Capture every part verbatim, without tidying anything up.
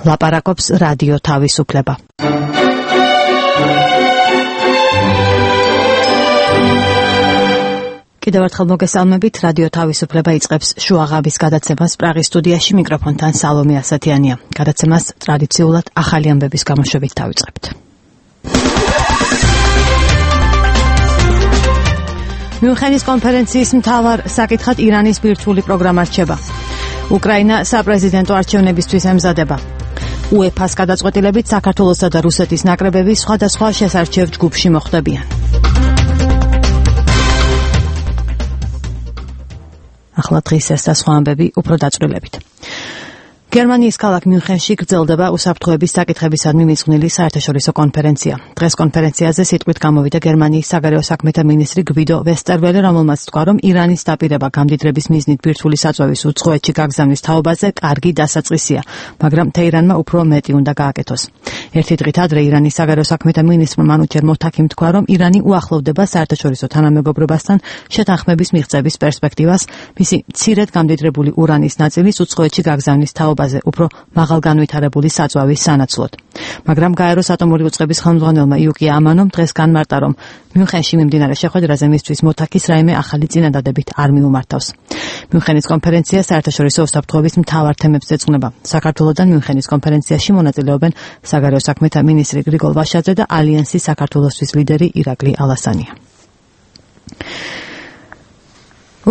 ლაპარაკობს რადიო თავისუფლება. კიდევ ერთხელ მოგესალმებით, რადიო თავისუფლება იწყებს შუაღამის გადაცემას პრაღის სტუდიაში, მიკროფონთან სალომე ასათიანია. გადაცემას ტრადიციულად ახალი ამბების გამოშვებით დავიწყებთ. მიუნხენის კონფერენციის მთავარ საკითხად ირანის ბირთვული პროგრამა რჩება. უკრაინა საპრეზიდენტო არჩევნებისთვის ემზადება. უეფას გადაწყვეტილებით საქართველოსა და რუსეთის ნაკრებები სხვადასხვა შესარჩევ ჯგუფში მოხვდებიან. ახლა დღის ეს და სხვა ამბები უფრო დაწვრილებით. გერმანიის ქალაქ მიუნხენში გრძელდება უსაფრთხოების საკითხებისადმი მიძღვნილი საერთაშორისო კონფერენცია. დღეს კონფერენციაზე სიტყვით გამოვიდა გერმანიის საგარეო საქმეთა მინისტრი გვიდო ვესტერველი, რომელმაც თქვა, რომ ირანის დაპირება გამდიდრების მიზნით ბირთვული საწვევის უცხოეთში გაგზავნის თაობაზე კარგი დასაწყისია, მაგრამ თეირანმა უფრო მეტი უნდა გააკეთოს. ერთი დღით ადრე ირანის საგარეო საქმეთა მინისტრმა მანუჩერ მოთაკიმ თქვა, რომ ირანი უახლოვდება საერთაშორისო თანამეგობრობასთან შეთანხმების მიღწევის პერსპექტივას, მისი მცირედ გამდიდრებული ურანის ნაწილის უცხოეთში გაგზავნის თაობაზე უფრო მაღალგანვითარებული საწვავის სანაცვლოდ. მაგრამ გაეროს ატომური უწყების ხელმძღვანელმა იუკია ამანომ დღეს განმარტა, რომ მიუნხენში მიმდინარე შეხვედრაზე მისთვის მოთაკის რაიმე ახალი წინადადებით არ მიუმართავს. მიუნხენის კონფერენცია საერთაშორისო უსაფრთხოების მთავარ თემებს ეძღვნება. საქართველოდან მიუნხენის კონფერენციაში მონაწილეობენ საგარეო საქმეთა მინისტრი გრიგოლ ვაშაძე და ალიანსის საქართველოსთვის ლიდერი ირაკლი ალასანია.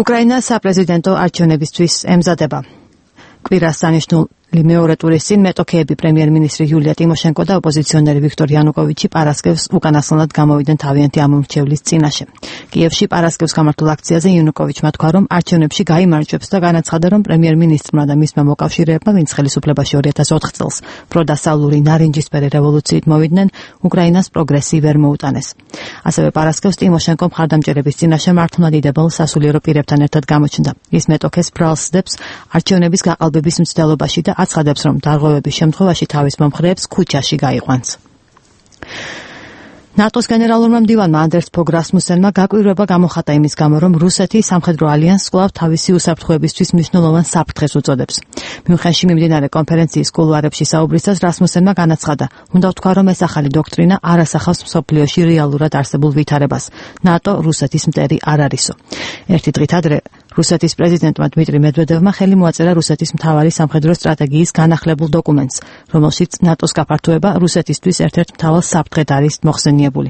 უკრაინა საპრეზიდენტო არჩევნებისთვის ემზადება. კვირას დანიშნულ მეორე ტურის წინ მეტოქეები პრემიერ-მინისტრი იულია ტიმოშენკო და ოპოზიციონერი ვიქტორ იანუკოვიჩი პარასკევს უკანასკნელად გამოვიდნენ თავიანთი ამომრჩევლის წინაშე. კიევში პარასკევს გამართულ აქციაზე იანუკოვიჩმა თქვა, რომ არჩევნებში გაიმარჯვებს და განაცხადა, რომ პრემიერ-მინისტრმა და მისმა მოკავშირეებმა, ვინც ხელისუფლებაში ორი ათას ოთხ წელს პროდასავლური ნარინჯისფერი რევოლუციით მოვიდნენ, უკრაინას პროგრესი ვერ მოუტანეს. ასევე პარასკევს ტიმოშენკო მხარდამჭერების წინაშე მართლმადიდებელ სასულიერო პირებთან ერთად გამოჩნდა. ის მეტოქეს ბრალს სდებს არჩევნების გაყალბების მცდელობაში და აცხადებს, რომ დარღვევების შემთხვევაში თავის მომხრეებს ქუჩაში გაიყვანს. ნატოს გენერალურმა მდივანმა ანდერს ფოგ რასმუსენმა გაკვირვება გამოხატა იმის გამო, რომ რუსეთი სამხედრო ალიანსს კვლავ თავისი უსაფრთხოებისთვის მნიშვნელოვან საფრთხეს უწოდებს. მიუნხენში მიმდინარე კონფერენციის კულუარებში საუბრისას რასმუსენმა განაცხადა, უნდა ვთქვა, რომ ეს ახალი დოქტრინა არ ასახავს მსოფლიოში რეალურად არსებულ ვითარებას. ნატო რუსეთის მტერი არ არისო. ერთი დღით ადრე რუსეთის პრეზიდენტმა დმიტრი მედვედევმა ხელი მოაწერა რუსეთის მთავარი სამხედრო სტრატეგიის განახლებულ დოკუმენტს, რომელშიც ნატოს გაფართოება რუსეთისთვის ერთ-ერთ მთავარ საფრთხედ არის მოხსენიებული.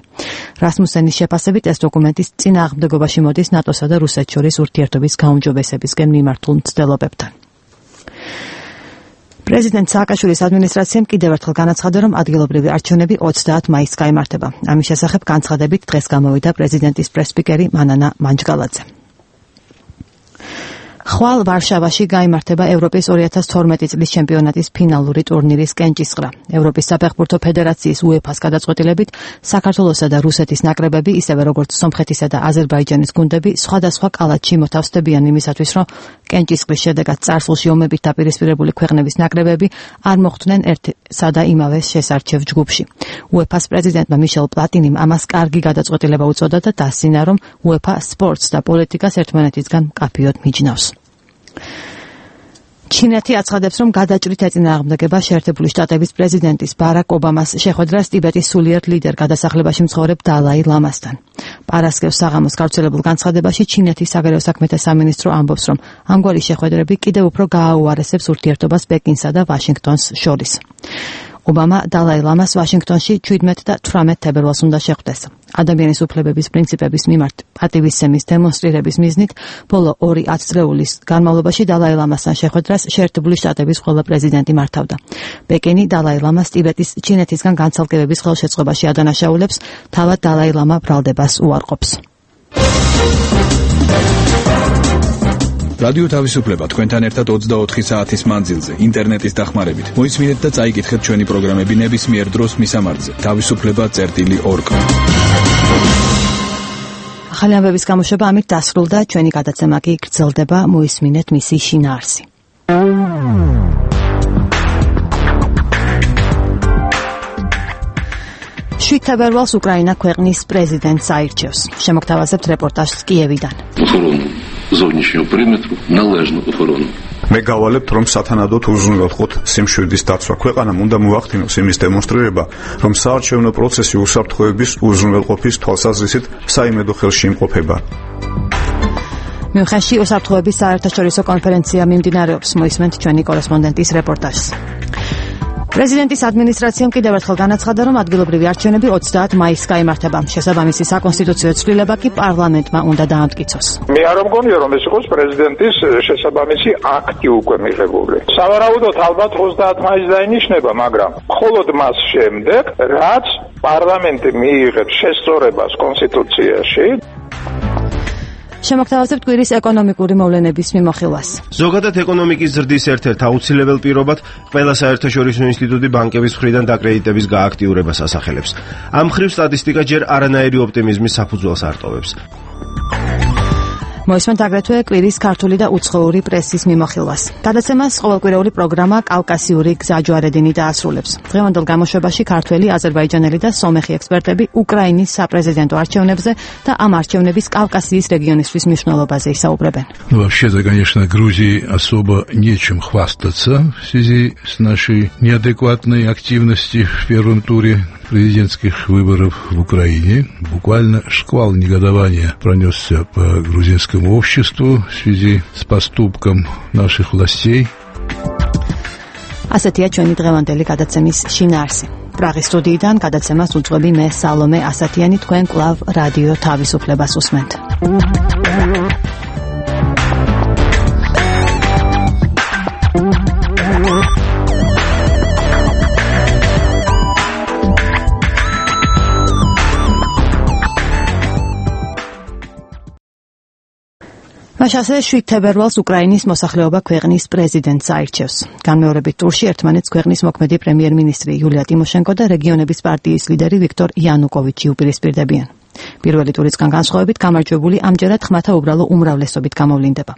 რასმუსენის შეფასებით ეს დოკუმენტის წინააღმდეგობაში მოდის ნატოსა და რუსეთს შორის ურთიერთობის გაუმჯობესებისკენ მიმართულ მცდელობებთან. პრეზიდენტ სააკაშვილის ადმინისტრაციამ კიდევ ერთხელ განაცხადა, რომ ადგილობრივი არჩევნები ოცდაათ მაისს გაიმართება. ამის შესახებ განცხადებით დღეს გამოვიდა პრეზიდენტის პრესსპიკერი მანანა მანჯგალაძე. ხვალ ვარშავაში გაიმართება ევროპის ორი ათას თორმეტი წლის ჩემპიონატის ფინალური ტურნირის კენჭისყრა. ევროპის საფეხბურთო ფედერაციის უეფას გადაწყვეტილებით საქართველოსა და რუსეთის ნაკრებები, ისევე როგორც სომხეთისა და აზერბაიჯანის გუნდები, სხვადასხვა კალათში მოთავსდებიან იმისათვის, რომ კენჭისყრის შედეგად წარსულში ომებით დაპირისპირებული ქვეყნების ნაკრებები არ მოხვდნენ ერთსა და იმავე შესარჩევ ჯგუფში. უეფას პრეზიდენტმა მიშელ პლატინიმ ამას კარგი გადაწყვეტილება უწოდა და დასცინა, რომ უეფა სპორტს და პოლიტიკას ერთმანეთისგან მკაფიოდ მიჯნავს. ჩინეთი აცხადებს, რომ გადაჭრით ეწინააღმდეგება შეერთებული შტატების პრეზიდენტის ბარაკ ობამას შეხვედრას ტიბეტის სულიერ ლიდერ გადასახლებაში მცხოვრებ დალაი ლამასთან. პარასკევს საღამოს გავრცელებულ განცხადებაში ჩინეთის საგარეო საქმეთა სამინისტრო ამბობს, რომ ამგვარი შეხვედრები კიდევ უფრო გააუარესებს ურთიერთობას პეკინსა და ვაშინგტონს შორის. ობამა დალაი ლამას ვაშინგტონში შვიდმეტ და თვრამეტ თებერვალს უნდა შეხვდეს. ადამიანის უფლებების პრინციპების მიმართ პატივისცემის დემონსტრირების მიზნით ბოლო ორი ათწლეულის განმავლობაში დალაი ლამასთან შეხვედრას შეერთებული შტატების ყველა პრეზიდენტი მართავდა. პეკინი დალაი ლამას ტიბეტის ჩინეთისგან განცალკევების ხელშეწყობაში ადანაშაულებს, თავად დალაი ლამა ბრალდებას უარყოფს. რადიო თავისუფლება თქვენთან ერთად ოცდაოთხი საათის მანძილზე ინტერნეტის დახმარებით. მოისმინეთ და წაიკითხეთ ჩვენი პროგრამები ნებისმიერ დროს მისამართზე თავისუფლება წერტილი ორ კა. ახალი ამბების გამოშვება ამით დასრულდა, ჩვენი გადაცემა კი გრძელდება, მოისმინეთ მისი შინაარსი. შვიდ თებერვალს უკრაინა ქვეყნის პრეზიდენტს აირჩევს. შემოგთავაზებთ რეპორტაჟს კიევიდან. Зовнішнього периметру, належну охорону მე გავალებთ, რომ სათანადოდ უზრუნველყოთ სიმშვიდის დაცვა. ქვეყანამ უნდა მოახდინოს იმის დემონსტრირება, რომ საარჩევნო პროცესი უსაფრთხოების უზრუნველყოფის თვალსაზრისით საიმედო ხელში იმყოფება. მიუნხენში უსაფრთხოების საერთაშორისო კონფერენცია მიმდინარეობს, მოისმენთ ჩვენი კორესპონდენტის რეპორტაჟს. პრეზიდენტის ადმინისტრაციამ კიდევ ერთხელ განაცხადა, რომ ადგილობრივი არჩევნები ოცდაათ მაისს გაიმართება. შესაბამისი საკონსტიტუციო ცვლილება კი პარლამენტმა უნდა დაამტკიცოს. მე არ მგონია, რომ ეს იყოს პრეზიდენტის შესაბამისი აქტი უკვე მიღებული. სავარაუდოდ ალბათ ოცდაათ მაისს დაინიშნება, მაგრამ მხოლოდ მას შემდეგ, რაც პარლამენტი მიიღებს შესწორებას კონსტიტუციაში, შემოგთავაზებთ კვირის ეკონომიკური მოვლენების მიმოხილვას. ზოგადად ეკონომიკის ზრდის ერთ-ერთ აუცილებელ პირობად ყველა საერთაშორისო ინსტიტუტი ბანკების მხრიდან დაკრედიტების გააქტიურებას ასახელებს. ამ მხრივ სტატისტიკა ჯერ არანაირი ოპტიმიზმის საფუძველს არტოვებს. მოისმენთ აგრეთვე კვირის ქართული და უცხოური პრესის მიმოხილვას. გადაცემას ყოველკვირეული პროგრამა კავკასიური გზაჯვარედინი დაასრულებს. დღევანდელ გამოშვებაში ქართველი, აზერბაიჯანელი და სომეხი ექსპერტები უკრაინის საპრეზიდენტო არჩევნებზე და ამ არჩევნების Кавказიის регионისთვის მნიშვნელობაზე ისაუბრებენ. Ну, вообще-то, конечно, Грузии особо нечем хвастаться в связи с нашей неадекватной активностью в первом туре президентских выборов в Украине. Буквально шквал негодования пронесся по грузинскому обществу в связи с поступком наших властей. ასეთია ჩვენი დღევანდელი გადაცემის შინაარსი. პრაღის სტუდიიდან გადაცემას უძღვები მე სალომე ასათიანი, თქვენ კვლავ რადიო თავისუფლებას უსმენთ. მაშასე შვიდ თებერვალს უკრაინის მოსახლეობა ქვეყნის პრეზიდენტს აირჩევს. განმეორებით ტურში ერთმანეთს ქვეყნის მოქმედი პრემიერ-მინისტრი იულია ტიმოშენკო და რეგიონების პარტიის ლიდერი ვიქტორ იანუკოვიჩი უპირისპირდებიან. პირველი ტურისგან განსხვავებით გამარჯვებული ამჯერად ხმათა უბრალო უმრავლესობით გამოვლინდება.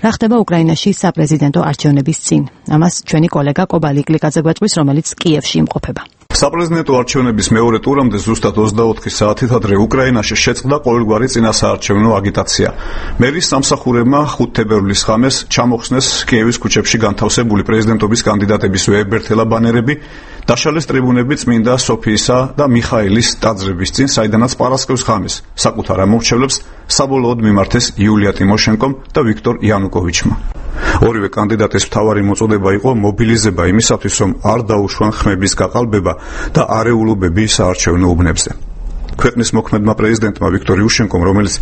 რა ხდება უკრაინაში საპრეზიდენტო არჩევნების წინ? ამას ჩვენი კოლეგა კობალი კლიკაძე გვეტყვის, რომელიც კიევში იმყოფება. საპრეზიდენტო არჩევნების მეორე ტურამდე ზუსტად ოცდაოთხი საათით ადრე უკრაინაში შეწყდა ყოველგვარი წინასაარჩევნო აგიტაცია. მერის სამსახურებმა ხუთ თებერვლის ღამეს ჩამოხსნეს კიევის ქუჩებში განთავსებული პრეზიდენტობის კანდიდატების ვეებერთელა ბანერები, დაშალეს ტრიბუნები წმინდა სოფიისა და მიხაილის ტაძრების წინ, საიდანაც პარასკევს ღამეს საკუთარ ამორჩევლებს საბოლოოდ მიმართეს იულია ტიმოშენკომ და ვიქტორ იანუკოვიჩმა. ორივე კანდიდატის მთავარი მოწოდება იყო მობილიზება იმისათვის, რომ არ დაუშვან ხმების გაყალბება და არეულობები საარჩევნო უბნებზე. ქვეყნის მოქმედმა პრეზიდენტმა ვიქტორ იუშენკომ, რომელიც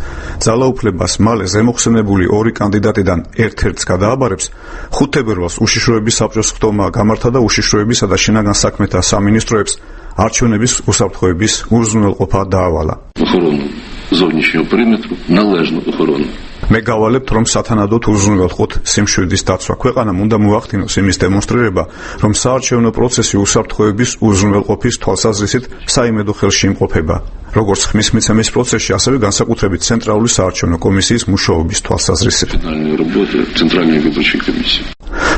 ძალაუფლებას მალე ზემოხსენებული ორი კანდიდატიდან ერთ-ერთს გადააბარებს, ხუთ თებერვალს უშიშროების საბჭოს ხდომა გამართა და უშიშროებისა და შინაგან საქმეთა სამინისტროებს არჩევნების უსაფრთხოების უზრუნველყოფა დაავალა. Зовнішнього периметру належну охорону. მე გავალებთ, რომ სათანადოდ უზრუნველყოთ სიმშვიდის დაცვა. ქვეყანამ უნდა მოახდინოს იმის დემონსტრირება, რომ საარჩევნო პროცესი უსაფრთხოების უზრუნველყოფის თვალსაზრისით საიმედო ხელში იმყოფება. როგორც ხმის მიცემის პროცესში, ასევე განსაკუთრებით ცენტრალური საარჩევნო კომისიის მუშაობის თვალსაზრისით.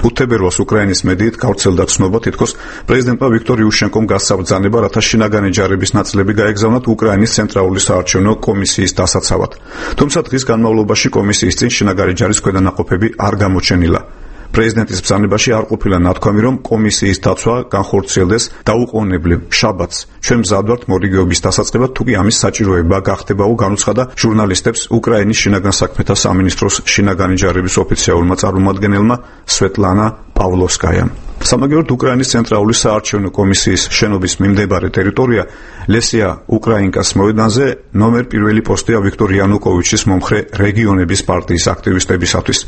ხუთ თებერვალს უკრაინის მედიით გავრცელდა ცნობა, თითქოს პრეზიდენტმა ვიქტორ იუშენკომ გასცა ბრძანება, რათა შინაგანი ჯარების ნაწილები გაეგზავნათ უკრაინის ცენტრალური საარჩევნო კომისიის დასაცავად. თუმცა დღის განმავლობაში კომისიის წინ შინაგანი ჯარის ქვედანაყოფები არ გამოჩენილა. პრეზიდენტის ბრძანებაში არ ყოფილა ნათქვამი, რომ კომისიის დაცვა განხორციელდეს დაუყოვნებლივ შაბათს. ჩვენ მზად ვართ მორიგეობის დასაწყებად, თუ კი ამის საჭიროება გახდებაო, განუცხადა ჟურნალისტებს უკრაინის შინაგან საქმეთა სამინისტროს შინაგანი ჯარების ოფიციალურმა წარმომადგენელმა სვეტლანა პავლოვსკაიამ. სამაგიეროდ უკრაინის ცენტრალური საარჩევნო კომისიის შენობის მიმდებარე ტერიტორია ლესია უკრაინკას მოედანზე ნომერ პირველი პოსტია ვიქტორ იანუკოვიჩის მომხრე რეგიონების პარტიის აქტივისტებისათვის.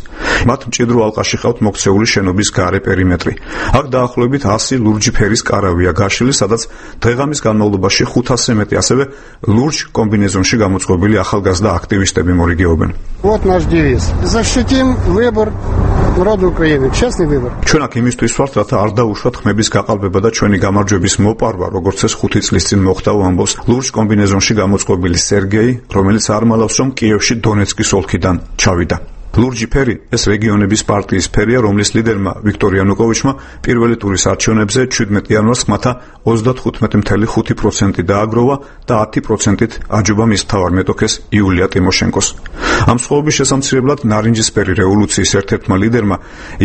მათ მჭიდრო ალყაში ყავთ მოქცეული შენობის გარე პერიმეტრი. აქ დაახლოებით ასი ლურჯი ფერის კარავია გაშლილი, სადაც დღეღამის განმავლობაში ხუთასზე მეტი ასევე ლურჯ კომბინეზონში გამოწყობილი ახალგაზრდა აქტივისტები მორიგეობენ. Вот наш девиз. Защитим выбор народа Украины. Честный выбор. ჩვენ აქ იმისთვის ვართ, რათა არ დაუშვათ ხმების გაყალბება და ჩვენი გამარჯვების მოპარვა, როგორც ეს ხუთი წლის წინ მოხდა, ამბობს ლურჯ კომბინეზონში გამოწყობილი სერგეი, რომელიც არ მალავს, რომ კიევში დონეცკის ოლქიდან ჩავიდა. ლურჯი ფერი ეს რეგიონების პარტიის ფერია, რომლის ლიდერმა ვიქტორ იანუკოვიჩმა პირველი ტურის არჩევნებზე შვიდმეტ იანვარს ხმათა ოცდათხუთმეტი ფاصლე ხუთი პროცენტი დააგროვა და ათი პროცენტით აჯობა მის მთავარ მეტოქეს იულია ტიმოშენკოს. ამ სხვაობის შესამცირებლად ნარინჯისფერი რევოლუციის ერთ-ერთმა ლიდერმა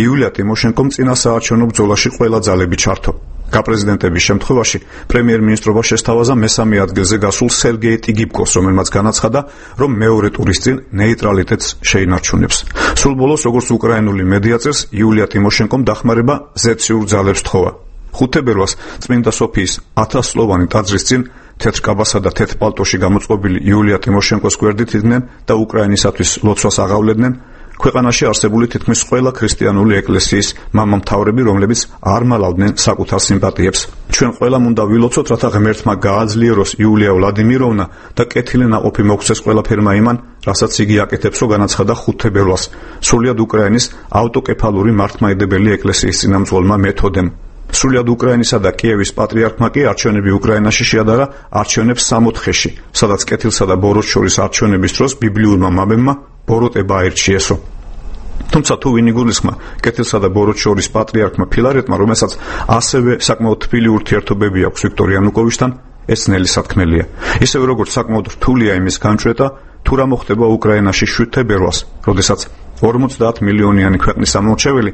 იულია ტიმოშენკომ წინა საარჩევნო ბრძოლაში ყველა ძალები ჩართო. გაპრეზიდენტების შემთხვევაში პრემიერ-მინისტრობა შესთავაზა მესამე ადგილზე გასულ სერგეი ტიგიბკოს, რომელმაც განაცხადა, რომ მეორე ტურის წინ ნეიტრალიტეტს შეინარჩუნებს. სულ ბოლოს, როგორც უკრაინული მედია წერს, იულია ტიმოშენკომ დახმარება ზეციურ ძალებს თხოვა. ხუთი თებერვალს წმინდა სოფიის ათასწლოვანი ტაძრის წინ თეთრ კაბასა და თეთრ პალტოში გამოწყობილი იულია ტიმოშენკოს გვერდით იდგნენ და უკრაინისათვის ლოცვას აღავლედნენ ქვეყანაში არსებული თითქმის ყველა ქრისტიანული ეკლესიის მამამთავრები, რომლებიც არ მალავდნენ საკუთარ სიმპათიებს. ჩვენ ყველამ უნდა ვილოცოთ, რათა ღმერთმა გააძლიეროს იულია ვლადიმიროვნა და კეთილი ნაყოფი მოგვცეს ყველაფერმა იმან, რასაც იგი აკეთებს, რომ განაცხადა ხუთი თებერვალს სრულიად უკრაინის ავტოკეფალური მართლმადიდებელი ეკლესიის წინამძღოლმა მეთოდემ. სრულიად უკრაინისა და კიევის პატრიარქმა კი არჩევნები უკრაინაში შეადარა არჩევნებს სამოთხეში, სადაც კეთილსა და ბოროტს შორის არჩევნების დროს ბიბლიურმა მამებმა ბოროტება აირჩიესო. თუმცა თუ ვინ იგულისხმა კეთილსა და ბოროტს შორის პატრიარქმა ფილარეტმა, რომელსაც ასევე საკმაოდ თბილი ურთიერთობები აქვს ვიქტორ იანუკოვიჩთან, ეს ნელი სათქმელია. ისევე როგორც საკმაოდ რთულია იმის განჭვრეტა, თუ რა მოხდება უკრაინაში შვიდ თებერვალს, როდესაც ორმოცდაათ მილიონიანი ქვეყნის ამორჩეველი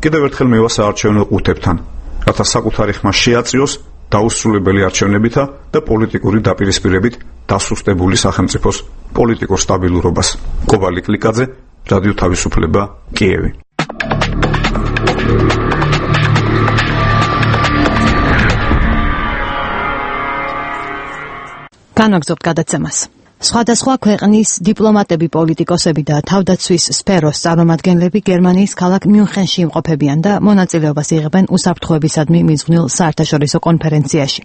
კიდევ ერთხელ მევა საარჩევნო ყუთებთან, რათა საკუთარი ხმა შეაწიოს დაუსრულებელი არჩევნებითა და პოლიტიკური დაპირისპირებით დასუსტებული სახელმწიფოს პოლიტიკურ სტაბილურობას. კობალი კლიკაძე, რადიო თავისუფლება, კიევი. განაგზობთ გადაცემას. სხვადასხვა ქვეყნის დიპლომატები, პოლიტიკოსები და თავდაცვის სფეროს წარმომადგენლები გერმანიის ქალაქ მიუნხენში იმყოფებიან და მონაწილეობას იღებენ უსაფრთხოებისადმი მიძღვნილ საერთაშორისო კონფერენციაში.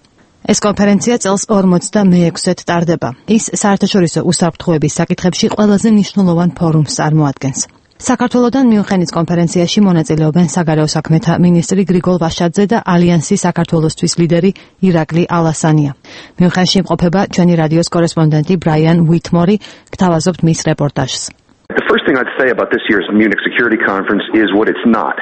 ეს კონფერენცია წელს ორმოცდამეექვსედ ტარდება. ის საერთაშორისო უსაფრთხოების საკითხებში ყველაზე მნიშვნელოვან ფორუმს წარმოადგენს. საქართველოდან მიუნხენის კონფერენციაში მონაწილეობენ საგარეო საქმეთა მინისტრი გრიგოლ ვაშაძე და ალიანსის საქართველოსთვის ლიდერი ირაკლი ალასანია. მიუნხენში იმყოფება ჩვენი რადიოს კორესპონდენტი ბრაიან უიტმორი, გთავაზობთ მის რეპორტაჟს. The first thing I'd say about this year's Munich Security Conference is what it's not.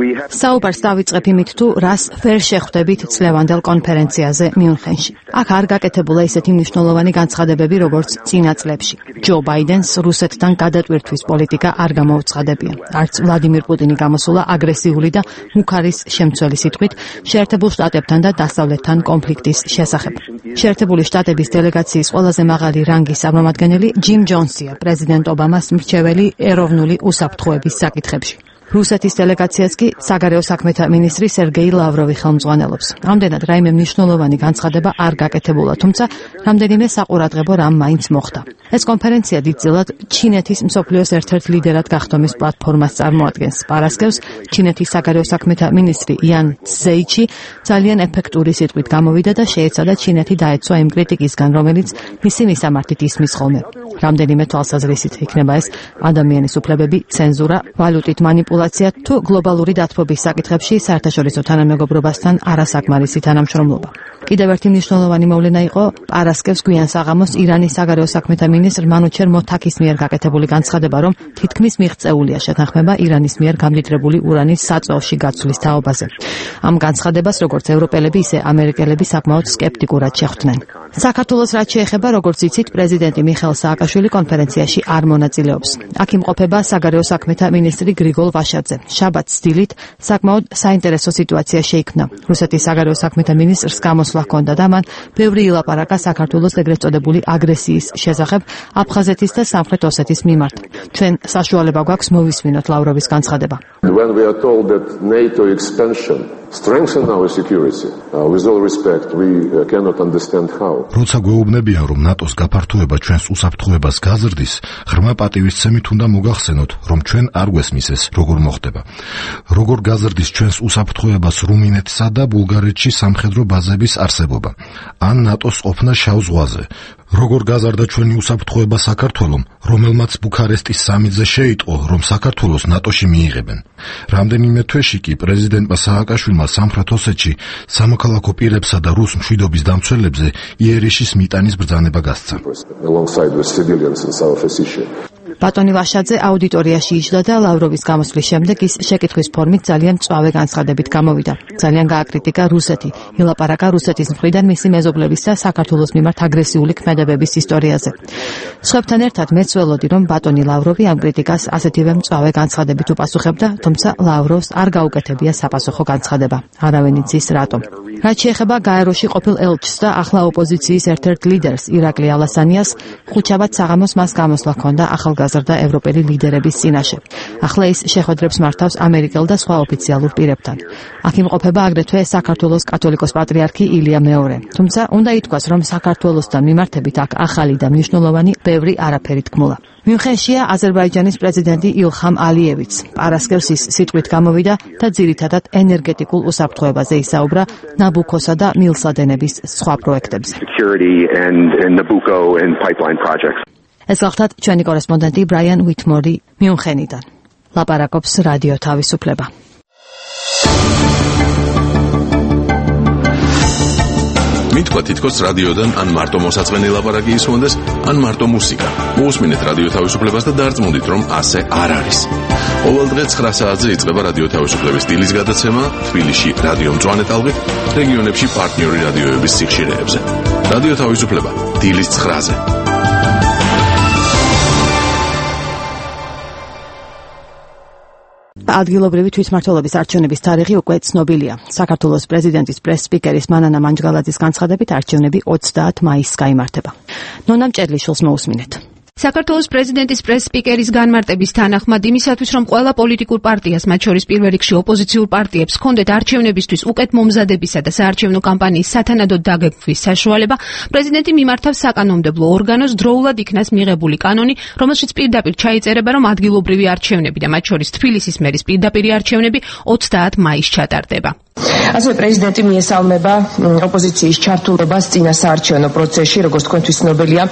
We have საუბარს დავიწყებ იმით, თუ რას ვერ შეხვდებით წლევანდელ კონფერენციაზე მიუნხენში. აქ არ გაკეთებულა ისეთი მნიშვნელოვანი განცხადებები, როგორც წინა წლებში. ჯო ბაიდენს რუსეთთან გადატვირთვის პოლიტიკა არ გამოუცხადებია. არც ვლადიმირ პუტინი გამოსულა აგრესიული და მუქარის შემცველი სიტყვით შეერთებულ შტატებთან და დასავლეთთან კონფლიქტის შესახებ. შეერთებული შტატების დელეგაციის ყველაზე მაღალი რანგის წარმომადგენელი ჯიმ ჯონსია, პრეზიდენტ ობამას მრჩეველი ეროვნული უსაფრთხოების საკითხებში. რუსეთის დელეგაციას კი საგარეო საქმეთა მინისტრი სერგეი ლავროვი ხელმძღვანელობს. ამდენად რაიმე მნიშვნელოვანი განცხადება არ გაკეთებულა, თუმცა რამდენიმე საყურადღებო რამ მაინც მოხდა. ეს კონფერენცია დიდწილად ჩინეთის მსოფლიოს ერთ-ერთ ლიდერად გახდომის პლატფორმას წარმოადგენს. პარასკევს ჩინეთის საგარეო საქმეთა მინისტრი იან ცზეიჩი ძალიან ეფექტური სიტყვით გამოვიდა და შეეცადა ჩინეთი დაეცვა იმ კრიტიკისგან, რომელიც მისი მისამართით ისმის ხოლმე. რამდენიმე თვალსაზრისით იქნება ეს ადამიანის უფლებები, ცენზურა, ვალუტით მანიპულაცია თუ გლობალური დათბობის საკითხებში საერთაშორისო თანამეგობრობასთან არასაკმარისი თანამშრომლობა. კიდევ ერთი მნიშვნელოვანი მოვლენა იყო პარასკევს გვიან საღამოს ირანის საგარეო საქმეთა მინისტრ მანუჩერ მოთაქის მიერ გაკეთებული განცხადება, რომ თითქმის მიღწეულია შეთანხმება ირანის მიერ გამდიდრებული ურანის საწვავში გაცვლის თაობაზე. ამ განცხადებას როგორც ევროპელები, ისე ამერიკელები საკმაოდ სკეპტიკურად შეხვდნენ. საქართველოს რაც შეეხება, როგორც იცით, პრეზიდენტი მიხეილ სააკაშვილი კონფერენციაში არ მონაწილეობს. აქ იმყოფება საგარეო საქმეთა მინისტრი გრიგოლ ვაშაძე. შაბათს დილით საკმაოდ საინტერესო სიტუაცია შეიქმნა. რუსეთის საგარეო საქმეთა მინისტრს გამოსვლა ჰქონდა და მან ბევრი ილაპარაკა საქართველოს ეგრეთ წოდებული აგრესიის შესახებ აფხაზეთის და სამხრეთ ოსეთის მიმართ. ჩვენ საშუალება გვაქვს მოვისმინოთ ლავროვის განცხადება. When we are told that NATO expansion strengthen our security, uh, with all respect, we uh, cannot understand how. როცა გვეუბნებიან, რომ ნატოს გაფართოება ჩვენს უსაფრთხოებას გაზრდის, ღრმა პატივისცემით უნდა მოგახსენოთ, რომ ჩვენ არ გვესმის ეს, როგორ მოხდება. როგორ გაზრდის ჩვენს უსაფრთხოებას რუმინეთსა და ბულგარეთში სამხედრო ბაზების არსებობა, ან ნატოს ყოფნა შავ ზღვაზე. როგორ გაზარდა ჩვენი უსაფრთხოება საქართველომ, რომელმაც ბუქარესტის სამიტზე შეიტყო, რომ საქართველოს ნატოში მიიღებენ. რამდენიმე თვეში კი პრეზიდენტმა სააკაშვილმა სამხრეთ ოსეთში სამოქალაქო პირებსა და რუს მშვიდობის დამცველებზე იერიშის მიტანის ბრძანება გასცა. ბატონი ვაშაძე აუდიტორიაში იჯდა და ლავროვის გამოსვლის შემდეგ ის შეკითხვის ფორმით ძალიან მწვავე განცხადებით გამოვიდა. ძალიან გააკრიტიკა რუსეთი, ილაპარაკა რუსეთის მხრიდან მისი მეზობლების და საქართველოს მიმართ აგრესიული ქმედებების ისტორიაზე. სხვებთან ერთად მეც ველოდი, რომ ბატონი ლავროვი ამ კრიტიკას ასეთივე მწვავე განცხადებით უპასუხებდა, თუმცა ლავროვს არ გაუკეთებია საპასუხო განცხადება. არავინ იცის რატომ. რაც შეეხება გაეროში ყოფილ ელჩს და ახლა ოპოზიციის ერთ-ერთ ლიდერს ირაკლი ალასანიას, ხუთშაბათ საღამოს მას გამოსვლა ჰქონდა ახალგაზრდა ევროპელი ლიდერების წინაშე. ახლა ის შეხვედრებს მართავს ამერიკელ და სხვა ოფიციალურ პირებთან. აქ იმყოფება აგრეთვე საქართველოს კათოლიკოს პატრიარქი ილია მეორე. თუმცა უნდა ითქვას, რომ საქართველოსთან მიმართებით აქ ახალი და მნიშვნელოვანი ბევრი არაფერი თქმულა. მიუნხენშია აზერბაიჯანის პრეზიდენტი ილხამ ალიევიც. პარასკევს ის სიტყვით გამოვიდა და ძირითადად ენერგეტიკულ უსაფრთხოებაზე ისაუბრა ნაბუქოსა და მილსადენების სხვა პროექტებზე. ეს გახლდათ ჩვენი კორესპონდენტი ბრაიან უიტმორი მიუნხენიდან. ლაპარაკობს რადიო თავისუფლება. მითქვა თითქოს რადიოდან ან მარტო მოსაწყენი ლაპარაკი ისმონდეს, ან მარტო მუსიკა. მოусმინეთ რადიო თავისუფლებას და დარწმუნდით, რომ ასე არ არის. ყოველ დღე ცხრა საათზე იწყება რადიო თავისუფლების დილის გადაცემა თბილისში რადიო მწვანე ტალღით, რეგიონებში პარტნიორი რადიოების სიხშირეებზე. რადიო თავისუფლება დილის ცხრაზე. ადგილობრივი თვითმმართველობის არჩევნების თარიღი უკვე ცნობილია. საქართველოს პრეზიდენტის პრეს-სპიკერის მანანა მანჯგალაძის განცხადებით არჩევნები ოცდაათ მაისს გაიმართება. ნონა მჭედლიშვილს მოусმინეთ. საქართველოს პრეზიდენტის პრეს-სპიკერის განმარტების თანახმად იმისათვის, რომ ყველა პოლიტიკურ პარტიას, მათ შორის პირველ რიგში ოპოზიციურ პარტიებს, ჰქონდეთ არჩევნებისთვის უკეთ მომზადებისა და საარჩევნო კამპანიის სათანადოდ დაგეგმვის საშუალება, პრეზიდენტი მიმართავს საკანონმდებლო ორგანოს დროულად იქნას მიღებული კანონი, რომელშიც პირდაპირ ჩაიწერება, რომ ადგილობრივი არჩევნები და მათ შორის თბილისის მერის პირდაპირი არჩევნები ოცდაათ მაისს ჩატარდება. ასევე პრეზიდენტი მიესალმება ოპოზიციის ჩართულობას წინა საარჩევნო პროცესში, როგორც თქვენთვის ცნობილია,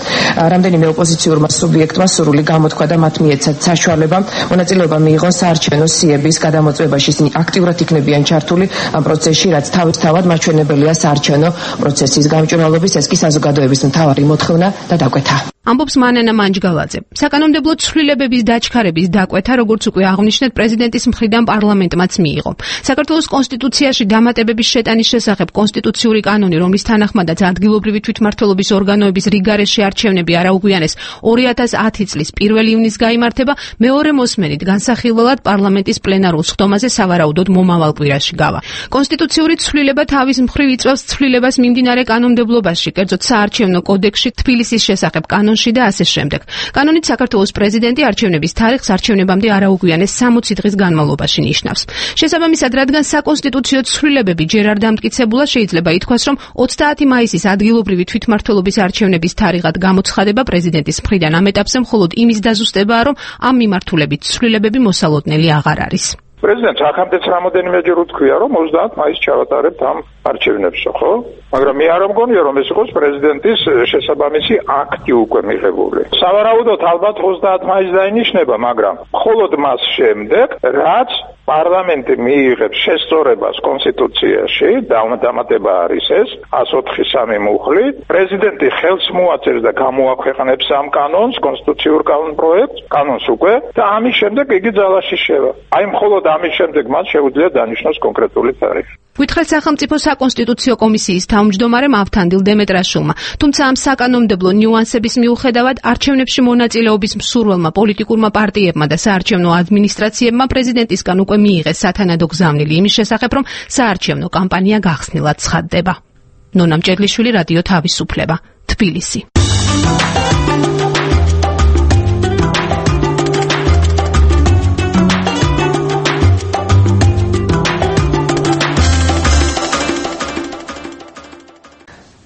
რამდენიმე ოპოზიციურმა სუბიექტმა სურვილი გამოთქვა და მათ მიეცათ საშუალება მონაწილეობა მიიღონ საარჩევნო სიების გადამოწმებაში. ისინი აქტიურად იქნებიან ჩართული ამ პროცესში, რაც თავისთავად მაჩვენებელია საარჩევნო პროცესის გამჭვირვალობის. ეს კი საზოგადოების მთავარი მოთხოვნა და დაკვეთა. ამბობს მანანა მანჯგალაძე. საკანონმდებლო ცვლილებების დაჩქარების დაკვეთა, როგორც უკვე აღნიშნეთ, პრეზიდენტის მხრიდან პარლამენტმაც მიიღო. საქართველოს კონსტიტუციაში დამატებების შეტანის შესახებ კონსტიტუციური კანონი, რომლის თანახმადაც ადგილობრივი თვითმმართველობის ორგანოების რიგგარეშე არჩევნები არაუგვიანეს ორი ათას ათი წლის პირველი ივნისს გაიმართება, მეორე მოსმენით განსახილველად პარლამენტის პლენარულ სხდომაზე სავარაუდოდ მომავალ კვირაში გავა. კონსტიტუციური ცვლილება თავის მხრივ იწვევს ცვლილებას მიმდინარე კანონმდებლობაში, კერძოდ საარჩევნო კოდექსში, თბილისის შესახებ კანონში და ასე შემდეგ. კანონით საქართველოს პრეზიდენტი არჩევნების თარიღს არჩევნებამდე არაუგვიანეს სამოცი დღის განმავლობაში ნიშნავს. შესაბამისად, რადგან საკონსტიტუციო ცვლილებები ჯერ არ დამტკიცებულა, შეიძლება ითქვას, რომ ოცდაათი მაისის ადგილობრივი თვითმმართველობის არჩევნების თარიღად გამოცხადება პრეზიდენტის მხრიდან ამ ეტაპზე მხოლოდ იმის დაზუსტებაა, რომ ამ მიმართულებით ცვლილებები მოსალოდნელი აღარ არის. პრეზიდენტს აქამდეც რამოდენიმეჯერ უთქვია, რომ ოცდაათ მაისს ჩავატარებთ ამ არჩევნებს, ხო? მაგრამ მე არ მგონია, რომ ეს იყოს პრეზიდენტის შესაბამისი აქტი უკვე მიღებული. სავარაუდოდ ალბათ ოცდაათ მაისს დაინიშნება, მაგრამ მხოლოდ მას შემდეგ, რაც პარლამენტი მიიღებს შესწორებას კონსტიტუციაში, დამატება არის ეს ას ოთხი სამი მუხლით, პრეზიდენტი ხელს მოაწერს და გამოაქვეყნებს ამ კანონს, კონსტიტუციურ კანონ პროექტს, კანონს უკვე და ამის შემდეგ იგი ძალაში შევა. აი მხოლოდ ამის შემდეგ მას შეუძლია დანიშნოს კონკრეტული თარიღი. ვითხრეს სახელმწიფო საკონსტიტუციო კომისიის თავმჯდომარემ ავთანდილ დემეტრაშვილმა, თუმცა ამ საკანონმდებლო ნიუანსების მიუხედავად არჩევნებში მონაწილეობის მსურველმა პოლიტიკურმა პარტიებმა და საარჩევნო ადმინისტრაციებმა პრეზიდენტისგან უკვე მიიღეს სათანადო გზავნილი იმის შესახებ, რომ საარჩევნო კამპანია გახსნილად ცხადდება. ნონა მჭედლიშვილი, რადიო თავისუფლება, თბილისი.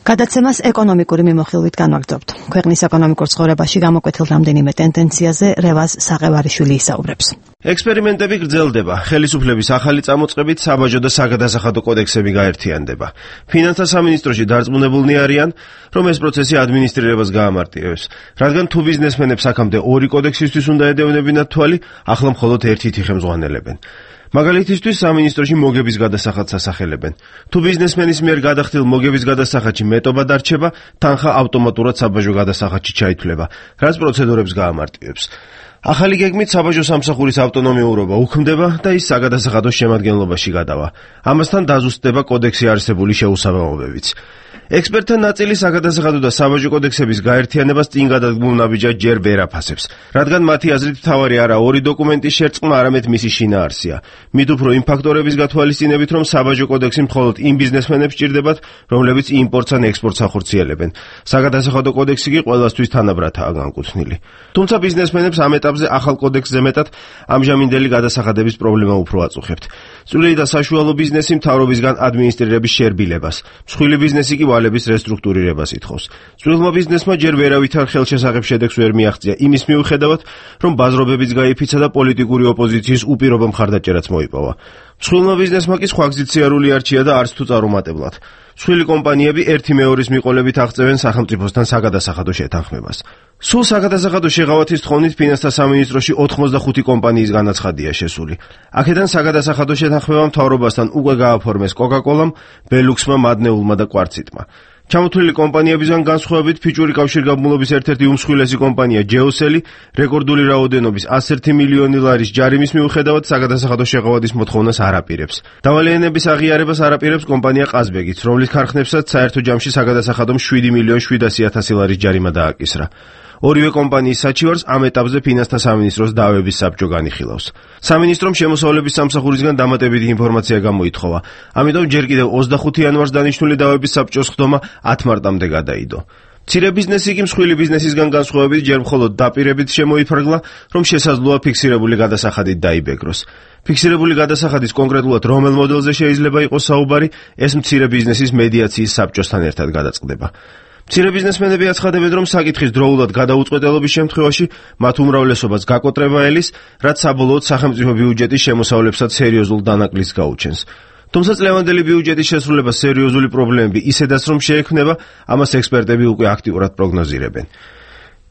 გადაცემას ეკონომიკური მიმოხილვით განვაგრძობთ. ქვეყნის ეკონომიკურ ცხოვრებაში გამოკვეთილ რამდენიმე ტენდენციაზე რევაზ საყევარიშვილი ისაუბრებს. ექსპერიმენტები გრძელდება. ხელისუფლების ახალი წამოწყებით საბაჟო და საგადასახადო კოდექსები გაერთიანდება. ფინანსთა სამინისტროში დარწმუნებულნი არიან, რომ ეს პროცესი ადმინისტრირებას გაამარტივებს. რადგან თუ ბიზნესმენებს აქამდე ორი კოდექსისთვის უნდა ედევნებინათ თვალი, ახლა მხოლოდ ერთით იხემძღვანელებენ. მაგალითისთვის სამინისტროში მოგების გადასახადს ასახელებენ. თუ ბიზნესმენის მიერ გადახდილ მოგების გადასახადში მეტობა დარჩება, თანხა ავტომატურად საბაჟო გადასახადში ჩაითვლება, რაც პროცედურებს გაამარტივებს. ახალი გეგმით საბაჟო სამსახურის ავტონომიურობა უქმდება და ის საგადასახადოს შემადგენლობაში გადავა. ამასთან დაზუსტდება კოდექსში არსებული შეუსაბამობებიც. ექსპერტთა ნაწილი საგადასახადო და საბაჟო კოდექსების გაერთიანებას წინ გადადგმულ ნაბიჯად ჯერ ვერ აფასებს, რადგან მათი აზრით მთავარი არა ორი დოკუმენტის შერწყმა, არამედ მისი შინაარსია. მით უფრო იმ ფაქტორების გათვალისწინებით, რომ საბაჟო კოდექსი მხოლოდ იმ ბიზნესმენებს ჭირდებათ, რომლებიც იმპორტს ან ექსპორტს ახორციელებენ. საგადასახადო კოდექსი კი ყველასთვის თანაბრადაა განკუთვნილი. თუმცა ბიზნესმენებს ამ ეტაპზე ახალ კოდექსზე მეტად ამჟამინდელი გადასახადების პრობლემა უფრო აწუხებთ. წვრილი და საშუალო ბიზნესი მთავრობისგან ადმინისტრირების შერბილებას, მსხვილი ბიზნესი კი ვალების რესტრუქტურირებას ითხოვს. წვრილმა ბიზნესმა ჯერ ვერავითარ ხელშესახებ შედეგს ვერ მიაღწია იმის მიუხედავად, რომ ბაზრობებიც გაიფიცა და პოლიტიკური ოპოზიციის უპირობო მხარდაჭერაც მოიპოვა. მსხვილმა ბიზნესმა კი სხვა გზით სიარული არჩია და არც თუ წარუმატებლად. მსხვილი კომპანიები ერთი მეორის მიყოლებით აღწევენ სახელმწიფოსთან საგადასახადო შეთანხმებას. სულ საგადასახადო შეღავათის თხოვნით ფინანსთა სამინისტროში ოთხმოცდახუთი კომპანიის განაცხადია შესული. აქედან საგადასახადო შეთანხმება მთავრობასთან უკვე გააფორმეს კოკაკოლამ, ბელუქსმა, მადნეულმა და კვარციტმა. ჩამოთვლილი კომპანიებისგან განსხვავებით ფიჭური კავშირგაბმულობის ერთ-ერთი უმსხვილესი კომპანია ჯეოსელი რეკორდული რაოდენობის ასი მილიონი ლარის ჯარიმის მიუხედავად საგადასახადო შეღავათის მოთხოვნას არ აპირებს. დავალიანების აღიარებას არ აპირებს კომპანია ყაზბეგიც, რომლის ქარხნებსაც საერთო ჯამში საგადასახადომ შვიდი მილიონი შვიდასი ათასი ლარის ჯარიმა დააკისრა. ორივე კომპანიის საჩივარს ამ ეტაპზე ფინანსთა სამინისტროს დავების საბჭო განიხილავს. სამინისტრომ შემოსავლების სამსახურისგან დამატებითი ინფორმაცია გამოითხოვა. ამიტომ ჯერ კიდევ ოცდახუთი იანვარს დანიშნული დავების საბჭოს ხდომა ათი მარტამდე გადაიდო. მცირე ბიზნესი კი მსხვილი ბიზნესისგან განსხვავებით ჯერ მხოლოდ დაპირებით შემოიფარგლა, რომ შესაძლოა ფიქსირებული გადასახადით დაიბეგროს. ფიქსირებული გადასახადის კონკრეტულად რომელ მოდელზე შეიძლება იყოს საუბარი, ეს მცირე ბიზნესის მედიაციის საბჭოსთან ერთად გადაწყდება. მცირე ბიზნესმენები აცხადებენ, რომ საკითხის დროულად გადაუწყვეტელობის შემთხვევაში მათ უმრავლესობას გაკოტრება ელის, რაც საბოლოოდ სახელმწიფო ბიუჯეტის შემოსავლებსაც სერიოზულ დანაკლისს გაუჩენს. თუმცა წლევანდელი ბიუჯეტის შესრულება სერიოზული პრობლემები ისედაც რომ შეექმნება, ამას ექსპერტები უკვე აქტიურად პროგნოზირებენ.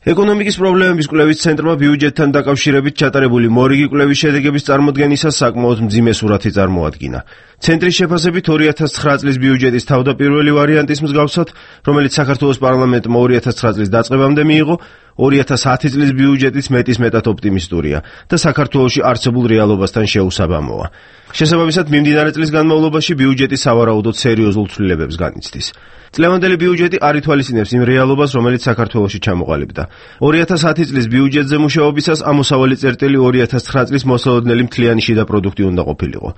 ეკონომიკის პრობლემების კვლევის ცენტრმა ბიუჯეტთან დაკავშირებით ჩატარებული მორიგი კვლევის შედეგების წარმოდგენისას საკმაოდ მძიმე სურათი წარმოადგინა. ცენტრის შეფასებით ორი ათას ცხრა წლის ბიუჯეტის თავდაპირველი ვარიანტის მსგავსად, რომელიც საქართველოს პარლამენტმა ორი ათას ცხრა წლის დაწყებამდე მიიღო, ორი ათას ათი წლის ბიუჯეტიც მეტის მეტად ოპტიმისტურია და საქართველოში არსებულ რეალობასთან შეუსაბამოა. შესაბამისად, მიმდინარე წლის განმავლობაში ბიუჯეტი სავარაუდოდ სერიოზულ ცვლილებებს განიცდის. წლევანდელი ბიუჯეტი არ ითვალისწინებს იმ რეალობას, რომელიც საქართველოში ჩამოყალიბდა. ორი ათას ათი წლის ბიუჯეტზე მუშაობისას ამოსავალი წერტილი ორი ათას ცხრა წლის მოსალოდნელი მთლიანი შიდა პროდუქტი უნდა ყოფილიყო.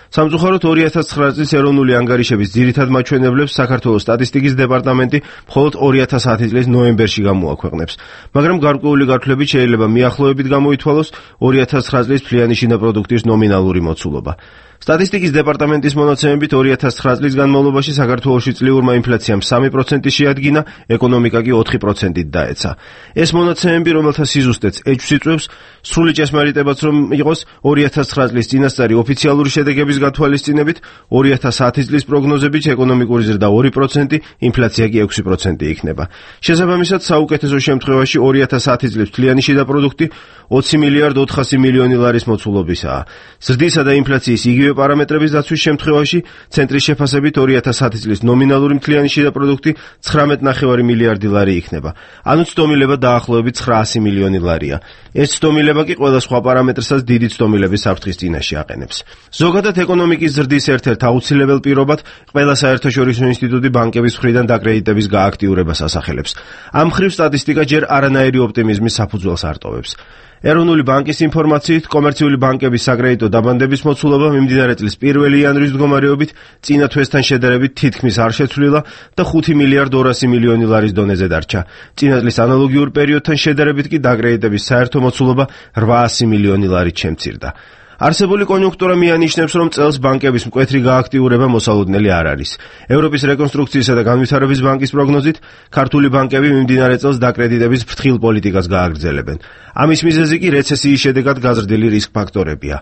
სამწუხაროდ ორი ათას ცხრა წლის ეროვნული ანგარიშების ძირითად მაჩვენებლებს საქართველოს სტატისტიკის დეპარტამენტი მხოლოდ ორი ათას ათი წლის ნოემბერში გამოაქვეყნებს, მაგრამ გარკვეული გართულებით შეიძლება მიახლოებით გამოითვალოს ორი ათას ცხრა წლის მთლიანი შიდა პროდუქტის ნომინალური მოცულობა. სტატისტიკის დეპარტამენტის მონაცემებით ორი ათას ცხრა წლის განმავლობაში საქართველოში წლიურმა ინფლაციამ სამი პროცენტი შეადგინა, ეკონომიკა კი ოთხი პროცენტით დაეცა. ეს მონაცემები, რომელთა სიზუსტეც ეჭვს იწვევს, სრული ჭესმარიტებაც რომ იყოს ორი ათას ცხრა წლის წინასწარი ოფიციალური შედეგების გათვალისწინებით, ორი ათას ათი წლის პროგნოზებით ეკონომიკური ზრდა ორი პროცენტი, ინფლაცია კი ექვსი პროცენტი იქნება. შესაბამისად, საუკეთესო შემთხვევაში ორი ათას ათი წლის მთლიანი შიდა პროდუქტი ოცი მილიარდ ოთხასი მილიონი ლარის მოცულობისაა. ზრდისა და ინფლაციის იგივე პარამეტრების დაცვის შემთხვევაში ცენტრის შეფასებით ორი ათას ათი წლის ნომინალური მთლიანი შიდა პროდუქტი ცხრამეტი ნახევარი მილიარდი ლარი იქნება. ანუ ცდომილება დაახლოებით ცხრაასი მილიონი ლარია. ეს ცდომილება კი ყველა სხვა პარამეტრსაც დიდი ცდომილების საფრთხის წინაშე აყენებს. ზოგადად ეკონომიკის ზრდის ერთ-ერთ აუცილებელ პირობად ყველა საერთაშორისო ინსტიტუტი ბანკების მხრიდან დაკრედიტების გააქტიურებას ასახელებს. ამ მხრივ სტატისტიკა ჯერ არანაირი ოპტიმიზმის საფუძველს არტოვებს. ეროვნული ბანკის ინფორმაციით, კომერციული ბანკების საკრედიტო დაბანდების მოცულობა მიმდინარე წლის პირველი იანვრის მდგომარეობით წინა თვესთან შედარებით თითქმის არ შეცვლილა და ხუთი მილიარდ ორასი მილიონი ლარის დონეზე დარჩა. წინა წლის ანალოგიურ პერიოდთან შედარებით კი დაკრედიტების საერთო მოცულობა რვაასი მილიონი ლარით შემცირდა. არსებული კონიუნქტურა მიანიშნებს, რომ წელს ბანკების მკვეთრი გააქტიურება მოსალოდნელი არ არის. ევროპის რეკონსტრუქციისა და განვითარების ბანკის პროგნოზით, ქართული ბანკები მიმდინარე წელს დაკრედიტების ფრთხილ პოლიტიკას გააგრძელებენ. ამის მიზეზი კი რეცესიის შედეგად გაზრდილი რისკ ფაქტორებია.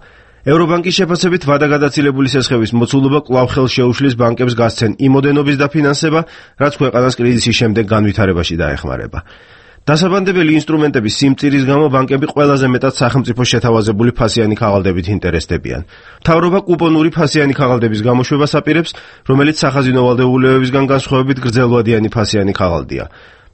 ევრობანკის შეფასებით ვადაგადაცილებული სესხების მოცულობა კვლავ ხელს შეუშლის ბანკებს გასცენ იმ ოდენობის დაფინანსება, რაც ქვეყანას კრიზისის შემდეგ განვითარებაში დაეხმარება. დასაბანდებელი ინსტრუმენტების სიმწირის გამო ბანკები ყველაზე მეტად სახელმწიფოს შეთავაზებული ფასიანი ქაღალდებით ინტერესდებიან. მთავრობა კუპონური ფასიანი ქაღალდების გამოშვებას აპირებს, რომელიც სახაზინო ვალდებულებებისგან განსხვავებით გრძელვადიანი ფასიანი ქაღალდია.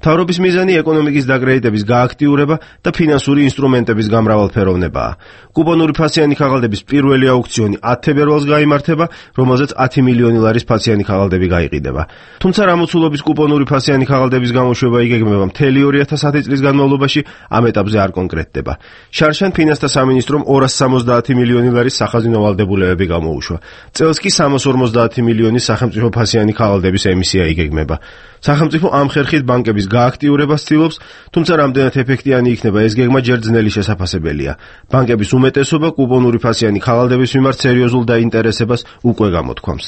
მთავრობის მიზანი ეკონომიკის დაკრედიტების გააქტიურება და ფინანსური ინსტრუმენტების გამრავალფეროვნებაა. კუპონური ფასიანი ქაღალდების პირველი აუქციონი ათი თებერვალს გაიმართება, რომელზეც ათი მილიონი ლარის ფასიანი ქაღალდები გაიყიდება. თუმცა რამოცულობის კუპონური ფასიანი ქაღალდების გამოშვება იგეგმება მთელი ორი ათას ათი წლის განმავლობაში, ამ ეტაპზე არ კონკრეტდება. შარშან ფინანსთა სამინისტრომ ორას სამოცდაათი მილიონი ლარის სახაზინო ვალდებულებები გამოუშვა. წელს კი სამას ორმოცდაათი მილიონის სახელმწიფო ფასიანი ქაღალდების ემისია იგეგმება. სახელმწიფო ამ ხერხით ბანკების გააქტიურებას ცდილობს, თუმცა რამდენად ეფექტიანი იქნება ეს გეგმა ჯერ ძნელი შესაფასებელია. ბანკების უმეტესობა კუპონური ფასიანი ქაღალდების მიმართ სერიოზულ დაინტერესებას უკვე გამოთქვამს.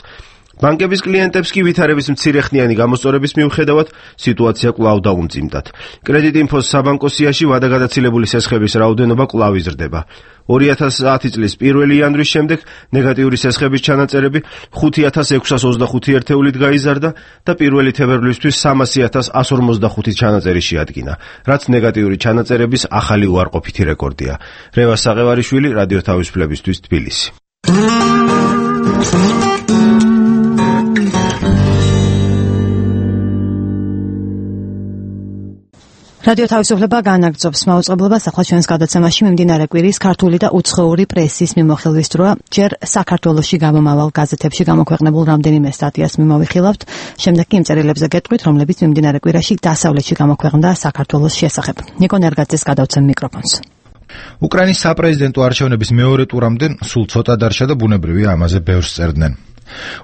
ბანკების კლიენტებს კი ვითარების მცირეხნიანი გამოსწორების მიუხედავად სიტუაცია კვლავ დაუმძიმდათ. კრედიტინფოს საბანკო სიაში ვადაგადაცილებული სესხების რაოდენობა კვლავ იზრდება. ორი ათას ათი წლის პირველი იანვრის შემდეგ ნეგატიური სესხების ჩანაწერები ხუთი ათას ექვსას ოცდახუთი ერთეულით გაიზარდა და პირველი თებერვლისთვის სამასი ათას ასი ორმოცდახუთი ჩანაწერი შეადგინა, რაც ნეგატიური ჩანაწერების ახალი უარყოფითი რეკორდია. რევას საყევარიშვილი, რადიო თავისუფლებისთვის, თბილისი. რადიო თავისუფლება განაგრძობს მაუწყებლობას, ახლა ჩვენს გადაცემაში მიმდინარე კვირის ქართული და უცხოური პრესის მიმოხილვის დროა. ჯერ საქართველოში გამომავალ გაზეთებში გამოქვეყნებულ რამდენიმე სტატიას მიმოვიხილავთ, შემდეგ კი იმ წერილებზე გეტყვით, რომლებიც მიმდინარე კვირაში დასავლეთში გამოქვეყნდა საქართველოს შესახებ. ნიკო ნერგაძეს გადავცემ მიკროფონს. უკრაინის საპრეზიდენტო არჩევნების მეორე ტურამდე სულ ცოტა დარჩა და ბუნებრივია ამაზე ბევრს წერდნენ.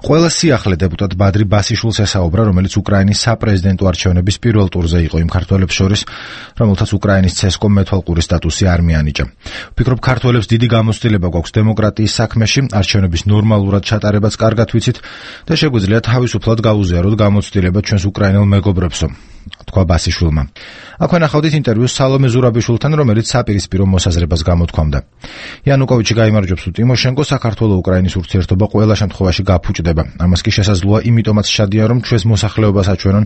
ყველა სიახლე დეპუტატ ბადრი ბასიშვილს ესაუბრა, რომელიც უკრაინის საპრეზიდენტო არჩევნების პირველ ტურზე იყო იმ ქართველებს შორის, რომელთაც უკრაინის ცესკომ მეთვალყური სტატუსი არ მიანიჭა. ვფიქრობ, ქართველებს დიდი გამოცდილება გვაქვს დემოკრატიის საქმეში, არჩევნების ნორმალურად ჩატარებაც კარგად ვიცით და შეგვიძლია თავისუფლად გავუზიაროთ გამოცდილება ჩვენს უკრაინელ მეგობრებსო, თქვა ბასიშვილმა. აქვე ნახავდით ინტერვიუს სალომე ზურაბიშვილთან, რომელიც საპირისპირო მოსაზრებას გამოთქვამდა. იანუკოვიჩი გაიმარჯვებს თუ ტიმოშენკო, საქართველო-უკრაინის ურთიერთობა ყველა შემთხვევაში გაფუჭდება. ამას კი შესაძლოა იმიტომაც შადია, რომ ჩვენს მოსახლეობას აჩვენონ,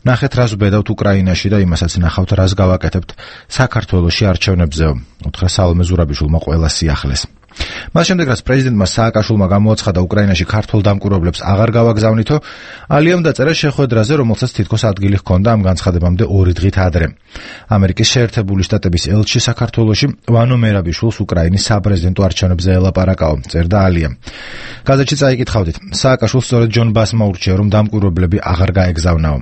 ნახეთ რას ვბედავთ უკრაინაში და იმასაც ნახავთ რას გავაკეთებთ საქართველოში არჩევნებზეო, უთხრა სალომე ზურაბიშვილმა ყველა სიახლეს. მას შემდეგ რაც პრეზიდენტმა სააკაშვილმა გამოაცხადა უკრაინაში ქართველ დამკვირვებლებს აღარ გავაგზავნითო, ალიამ დაწერა შეხვედრაზე, რომელსაც თითქოს ადგილი ჰქონდა ამ განცხადებამდე ორი დღით ადრე. ამერიკის შეერთებული შტატების ელჩი საქართველოში ვანო მერაბიშვილს უკრაინის საპრეზიდენტო არჩევნებზე ელაპარაკაო, წერდა ალიამ. გაზეთში წაიკითხავდით, სააკაშვილს სწორედ ჯონ ბასმა ურჩია, რომ დამკვირვებლები აღარ გაეგზავნაო.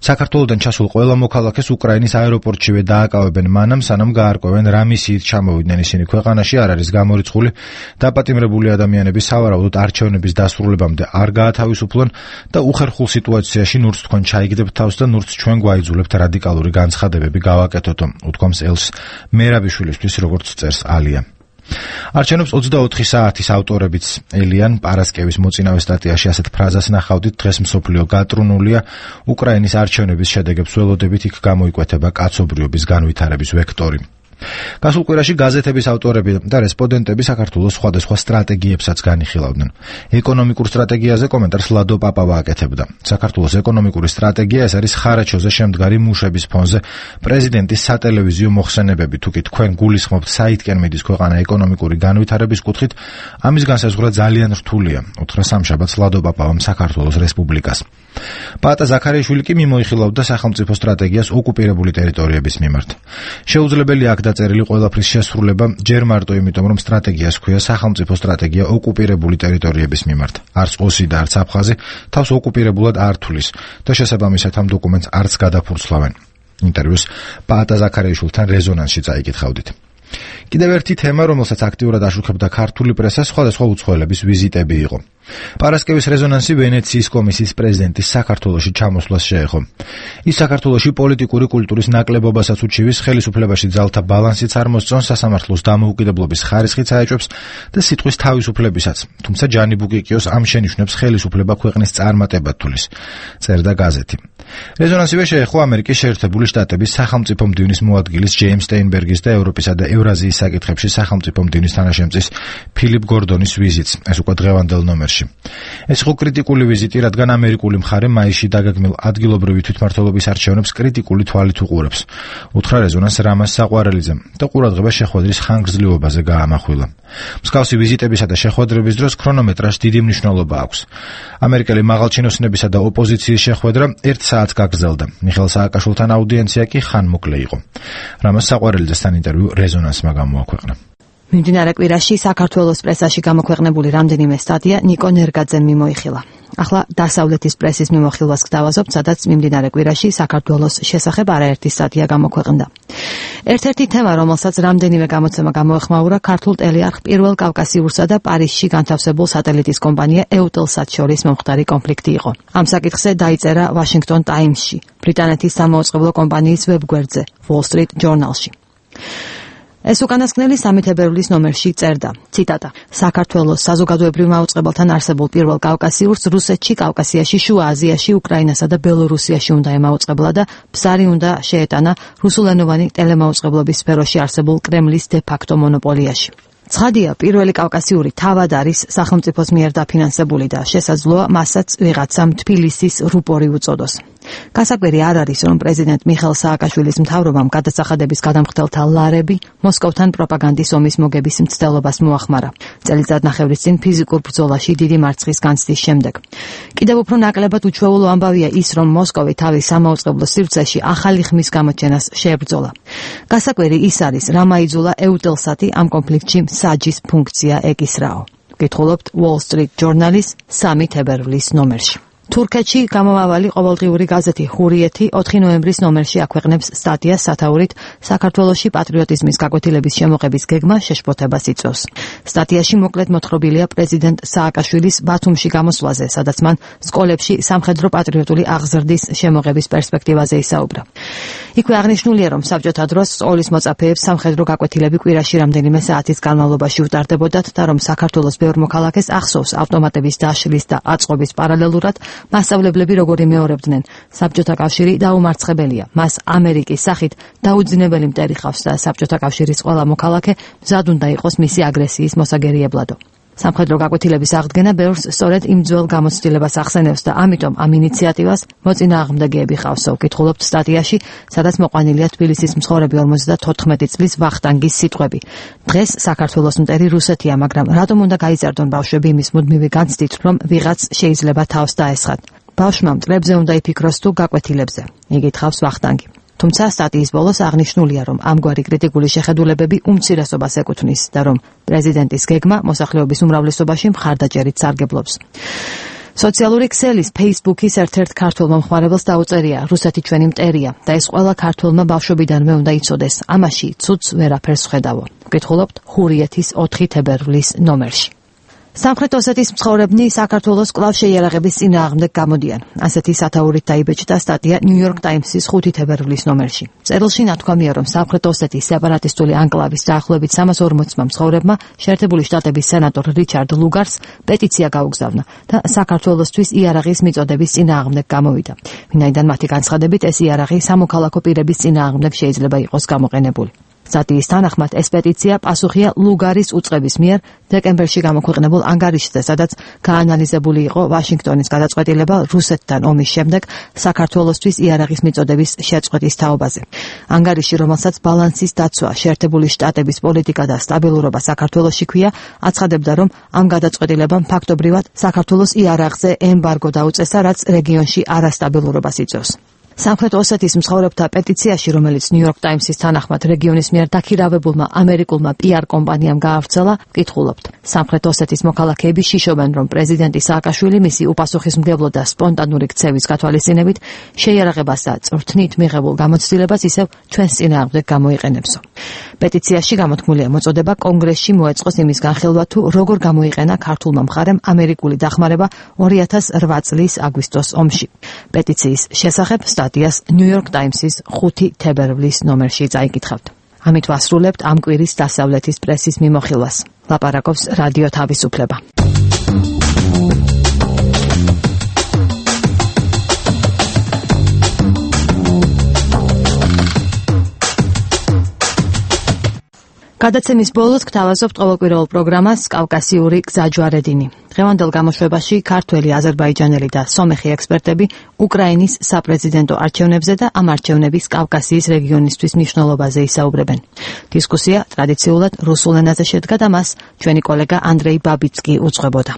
საქართველოდან ჩასულ ყველა მოქალაქეს უკრაინის აეროპორტშივე დააკავებენ მანამ, სანამ გაარკვევენ რა მისიით ჩამოვიდნენ ისინი ქვეყანაში, არ არის გამორიცხული დაპატიმრებული ადამიანები სავარაუდოდ არჩევნების დასრულებამდე არ გაათავისუფლონ და უხერხულ სიტუაციაში ნურც თქვენ ჩაიგდებთ თავს და ნურც ჩვენ გვაიძულებთ რადიკალური განცხადებები გავაკეთოთო, უთქვამს ელს მერაბიშვილისთვის, როგორც წერს ალია. არჩევნებს ოცდაოთხი საათის ავტორებიც ელიან პარასკევის მოწინავე სტატიაში ასეთ ფრაზას ნახავდით, დღეს მსოფლიო გატრუნულია, უკრაინის არჩევნების შედეგებს ველოდებით, იქ გამოიკვეთება კაცობრიობის განვითარების ვექტორი. გასულ კვირაში გაზეთების ავტორები და რესპონდენტები საქართველოს სხვადასხვა სტრატეგიებსაც განიხილავდნენ. ეკონომიკურ სტრატეგიაზე კომენტარს ლადო პაპავა აკეთებდა. საქართველოს ეკონომიკური სტრატეგია ეს არის ხარაჩოზე შემდგარი მუშების ფონზე პრეზიდენტის სატელევიზიო მოხსენებები. თუ კი თქვენ გულისხმობთ საითკენ მიდის ქვეყანა ეკონომიკური განვითარების კუთხით, ამის განსაზღვრა ძალიან რთულია, უთხრა სამშაბათს ლადო პაპავამ საქართველოს რესპუბლიკას. პაატა ზაქარიაშვილი კი მიმოიხილავდა სახელმწიფო სტრატეგიას ოკუპირებული ტერიტორიების მიმართ. შეუძლებელია აქ დაწერილი ყველაფრის შესრულება ჯერ მარტო იმიტომ, რომ სტრატეგიას ჰქვია სახელმწიფო სტრატეგია ოკუპირებული ტერიტორიების მიმართ. არც ოსი და არც აფხაზი თავს ოკუპირებულად არ თვლის და შესაბამისად ამ დოკუმენტს არც გადაფურცლავენ. ინტერვიუს პაატა ზაქარიაშვილთან რეზონანსში წაიკითხავდით. კიდევ ერთი თემა, რომელსაც აქტიურად აშუქებდა ქართული პრესა, სხვადასხვა უცხოელების ვიზიტები იყო. პარასკევის რეზონანსი ვენეციის კომისიის პრეზიდენტის საქართველოში ჩამოსვლას შეეხო. ის საქართველოში პოლიტიკური კულტურის ნაკლებობასაც უჩივის, ხელისუფლებაში ძალთა ბალანსიც არ მოსწონს, სასამართლოს დამოუკიდებლობის ხარისხიც აეჭვებს და სიტყვის თავისუფლებისაც. თუმცა ჯანი ბუკიკიოს ამ შენიშვნებს ხელისუფლება ქვეყნის წარმატებად თulis, წერდა გაზეთი. რეზონანსივე შეეხო ამერიკის შეერთებული შტატების სახელმწიფო მდივნის მოადგილის ჯეიმს სტეინბერგის და ევროპისა და ევრაზიის საკითხებში სახელმწიფო მდივნის თანაშემწის ფილიპ გორდონის ვიზიტს, ეს უკვე დღევანდელ ნომერში. ეს იყო კრიტიკული ვიზიტი, რადგან ამერიკული მხარე მაისში დაგეგმილ ადგილობრივი თვითმმართველობის არჩევნებს კრიტიკული თვალით უყურებს. უთხრა რეზონანს რამაზ საყვარელიძემ და ყურადღება შეხვედრის ხანგრძლივობაზე გაამახვილა. მსგავსი ვიზიტებისა და შეხვედრების დროს ქრონომეტრაჟს დიდი მნიშვნელობა აქვს. ამერიკელი მაღალჩინოსნებისა და ოპოზიციის შეხვედრა ერთ საათს გაგრძელდა. მიხეილ სააკაშვილთან აუდიენცია კი ხანმოკლე იყო. რამაზ საყვარელიძესთან ინტერვიუ რეზონანსმა გამოაქვეყნა. მიმდინარე კვირაში საქართველოს პრესაში გამოქვეყნებული რამდენიმე სტატია ნიკო ნერგაძემ მიმოიხილა. ახლა დასავლეთის პრესის მიმოხილვას გთავაზობთ, სადაც მიმდინარე კვირაში საქართველოს შესახებ არაერთი სტატია გამოქვეყნდა. ერთ-ერთი თემა, რომელსაც რამდენიმე გამოცემა გამოეხმაურა, ქართულ ტელეარხ პირველ კავკასიურსა და პარიზში განთავსებულ სატელიტის კომპანია ეუტელსატ შორის მომხდარი კონფლიქტი იყო. ამ საკითხზე დაიწერა Washington Times-ში, ბრიტანეთის სამაუწყებლო კომპანიის ვებგვერდზე, Wall Street Journal-ში. ეს უკანასკნელი სამეთებერულის ნომერში წერდა, ციტატა: საქართველოს საზოგადოებრივ მაუწყებელთან არსებულ პირველ კავკასიურს რუსეთში, კავკასიაში, შუა აზიაში, უკრაინასა და ბელორუსიაში უნდა ემაუწყებლა და ბზარი უნდა შეეტანა რუსულენოვანი ტელემაუწყებლობის სფეროში არსებულ კრემლის დე-ფაქტო მონოპოლიაში. ცხადია, პირველი კავკასიური თავად არის სახელმწიფოს მიერ დაფინანსებული და შესაძლოა მასაც ვიღაცამ თბილისის რუპორი უწოდოს. გასაკვირი არ არის, რომ პრეზიდენტ მიხეილ სააკაშვილის მთავრობამ გადასახადების გადამხდელთა ლარები მოსკოვთან პროპაგანდის ომის მოგების მცდელობას მოახმარა. წელიწადნახევრის წინ ფიზიკურ ბრძოლაში დიდი მარცხის განცდის შემდეგ. კიდევ უფრო ნაკლებად უჩვეულო ამბავია ის, რომ მოსკოვი თავის სამაუწყებლო სივრცეში ახალი ხმის გამოჩენას შეებრძოლა. გასაკვირი ის არის, რა მაიძულა ეუტელსატი ამ კონფლიქტში საჯის ფუნქცია ეკისრაო. გითხულობთ Wall Street Journal-ის სამი თებერვლის ნომერში. თურქეთში გამომავალი ყოველდღიური გაზეთი ჰურიეთი ოთხი ნოემბრის ნომერში აქვეყნებს სტატიას სათაურით საქართველოში პატრიოტიზმის გაკვეთილების შემოღების გეგმა შეშფოთებას იწვევს. სტატიაში მოკლედ მოთხრობილია პრეზიდენტ სააკაშვილის ბათუმში გამოსვლაზე, სადაც მან სკოლებში სამხედრო პატრიოტული აღზრდის შემოღების პერსპექტივაზე ისაუბრა. იქვე აღნიშნულია, რომ საბჭოთა დროს სკოლის მოწაფეებს სამხედრო გაკვეთილები კვირაში რამდენიმე საათის განმავლობაში უტარდებოდათ და რომ საქართველოს ბევრ მოქალაქეს ახსოვს ავტომატების დაშლის და აწყობის პარალელურად მასწავლებლები როგორ იმეორებდნენ. საბჭოთა კავშირი დაუმარცხებელია. მას ამერიკის სახით დაუძინებელი მტერი ხავს და საბჭოთა კავშირის ყველა მოქალაქე მზად უნდა იყოს მისი აგრესიის მოსაგერიებლადო. სამხედრო გაკვეთილების აღდგენა ბევრს სწორედ იმ ძველ გამოცდილებას ახსენებს და ამიტომ ამ ინიციატივას მოწინააღმდეგეები ხავსო. გითხულობთ სტატიაში, სადაც მოყვანილია თბილისის მცხოვრები ორმოცდათოთხმეტი წლის ვახტანგის სიტყვები. დღეს საქართველოს მტერი რუსეთია, მაგრამ რატომ უნდა გაიზარდონ ბავშვები იმის მუდმივი განცდით, რომ ვიღაც შეიძლება თავს დაესხათ. ბავშვმა მტრებზე უნდა იფიქროს თუ გაკვეთილებზე. იგითხავს ვახტანგი. თუმცა სტატიის ბოლოს აღნიშნულია, რომ ამგვარი კრიტიკული შეხედულებები უმცირესობას ეკუთვნის და რომ პრეზიდენტის გეგმა მოსახლეობის უმრავლესობაში მხარდაჭერით სარგებლობს. სოციალური ქსელის Facebook-ის ერთ-ერთ ქართველ მომხმარებელს დაუწერია: რუსეთი ჩვენი მტერია და ეს ყველა ქართველმა ბავშვობიდანვე უნდა იცოდეს. ამაში ცუდს ვერაფერს ვხედავო. გითხულობთ ჰურიეთის ოთხი თებერვლის ნომერში. სამხრეთ ოსეთის მცხოვრებნი საქართველოს კვლავ შეიარაღების წინააღმდეგ გამოდიან. ასეთი სათაურით დაიბეჭდა სტატია New York Times-ის ხუთი თებერვლის ნომერში. წერილში ნათქვამია, რომ სამხრეთ ოსეთის სეპარატისტული ანკლავის დაახლოებით სამას ორმოცმა მცხოვრებმა შეერთებული შტატების სენატორ რიჩარდ ლუგარს პეტიცია გაუგზავნა და საქართველოსთვის იარაღის მიწოდების წინააღმდეგ გამოვიდა. ვინაიდან მათი განცხადებით ეს იარაღი სამოქალაქო პირების წინააღმდეგ შეიძლება იყოს გამოყენებული. სტატიის თანახმად ეს პეტიცია პასუხია ლუგარის უწყების მიერ დეკემბერში გამოქვეყნებულ ანგარიშზე, სადაც გაანალიზებული იყო ვაშინგტონის გადაწყვეტილება რუსეთთან ომის შემდეგ საქართველოსთვის იარაღის მიწოდების შეწყვეტის თაობაზე. ანგარიში, რომელსაც ბალანსის დაცვა, შეერთებული შტატების პოლიტიკა და სტაბილურობა საქართველოში ქვია, აცხადებდა, რომ ამ გადაწყვეტილებამ ფაქტობრივად საქართველოს იარაღზე ემბარგო დაუწესა, რაც რეგიონში არასტაბილურობას იწვევს. სამხრეთ ოსეთის მცხოვრებთა პეტიციაში, რომელიც New York Times-ის თანახმად რეგიონის მიერ დაქირავებულმა ამერიკულმა პი არ კომპანიამ გაავრცელა, გითხულობთ. სამხრეთ ოსეთის მოქალაქეები შიშობენ, რომ პრეზიდენტი სააკაშვილი მისი უპასუხისმგებლო და სპონტანური ქცევის გათვალისწინებით შეიარაღებას და წვრთნით მიღებულ გამოცდილებას ისევ ჩვენს წინააღმდეგ გამოიყენებსო. პეტიციაში გამოთქმულია მოწოდება კონგრესში მოეწყოს იმის განხილვა, თუ როგორ გამოიყენა ქართულმა მხარემ ამერიკული დახმარება ორი ათას რვა წლის აგვისტოს ომში. პეტიციის შესახებ სტატიას New York Times-ის ხუთი თებერვლის ნომერში წაიკითხავთ. ამით ვასრულებთ ამ კვირის დასავლეთის პრესის მიმოხილვას. ლაპარაკობს რადიო თავისუფლება. გადაცემის ბოლოს გთავაზობთ ყოველკვირეულ პროგრამას კავკასიური გზაჯვარედინი. დღევანდელ გამოშვებაში ქართველი, აზერბაიჯანელი და სომეხი ექსპერტები უკრაინის საპრეზიდენტო არჩევნებზე და ამ არჩევნების კავკასიის რეგიონისთვის მნიშვნელობაზე ისაუბრებენ. დისკუსია ტრადიციულად რუსულ ენაზე შედგა და მას ჩვენი კოლეგა ანდრეი ბაბიცკი უძღვებოდა.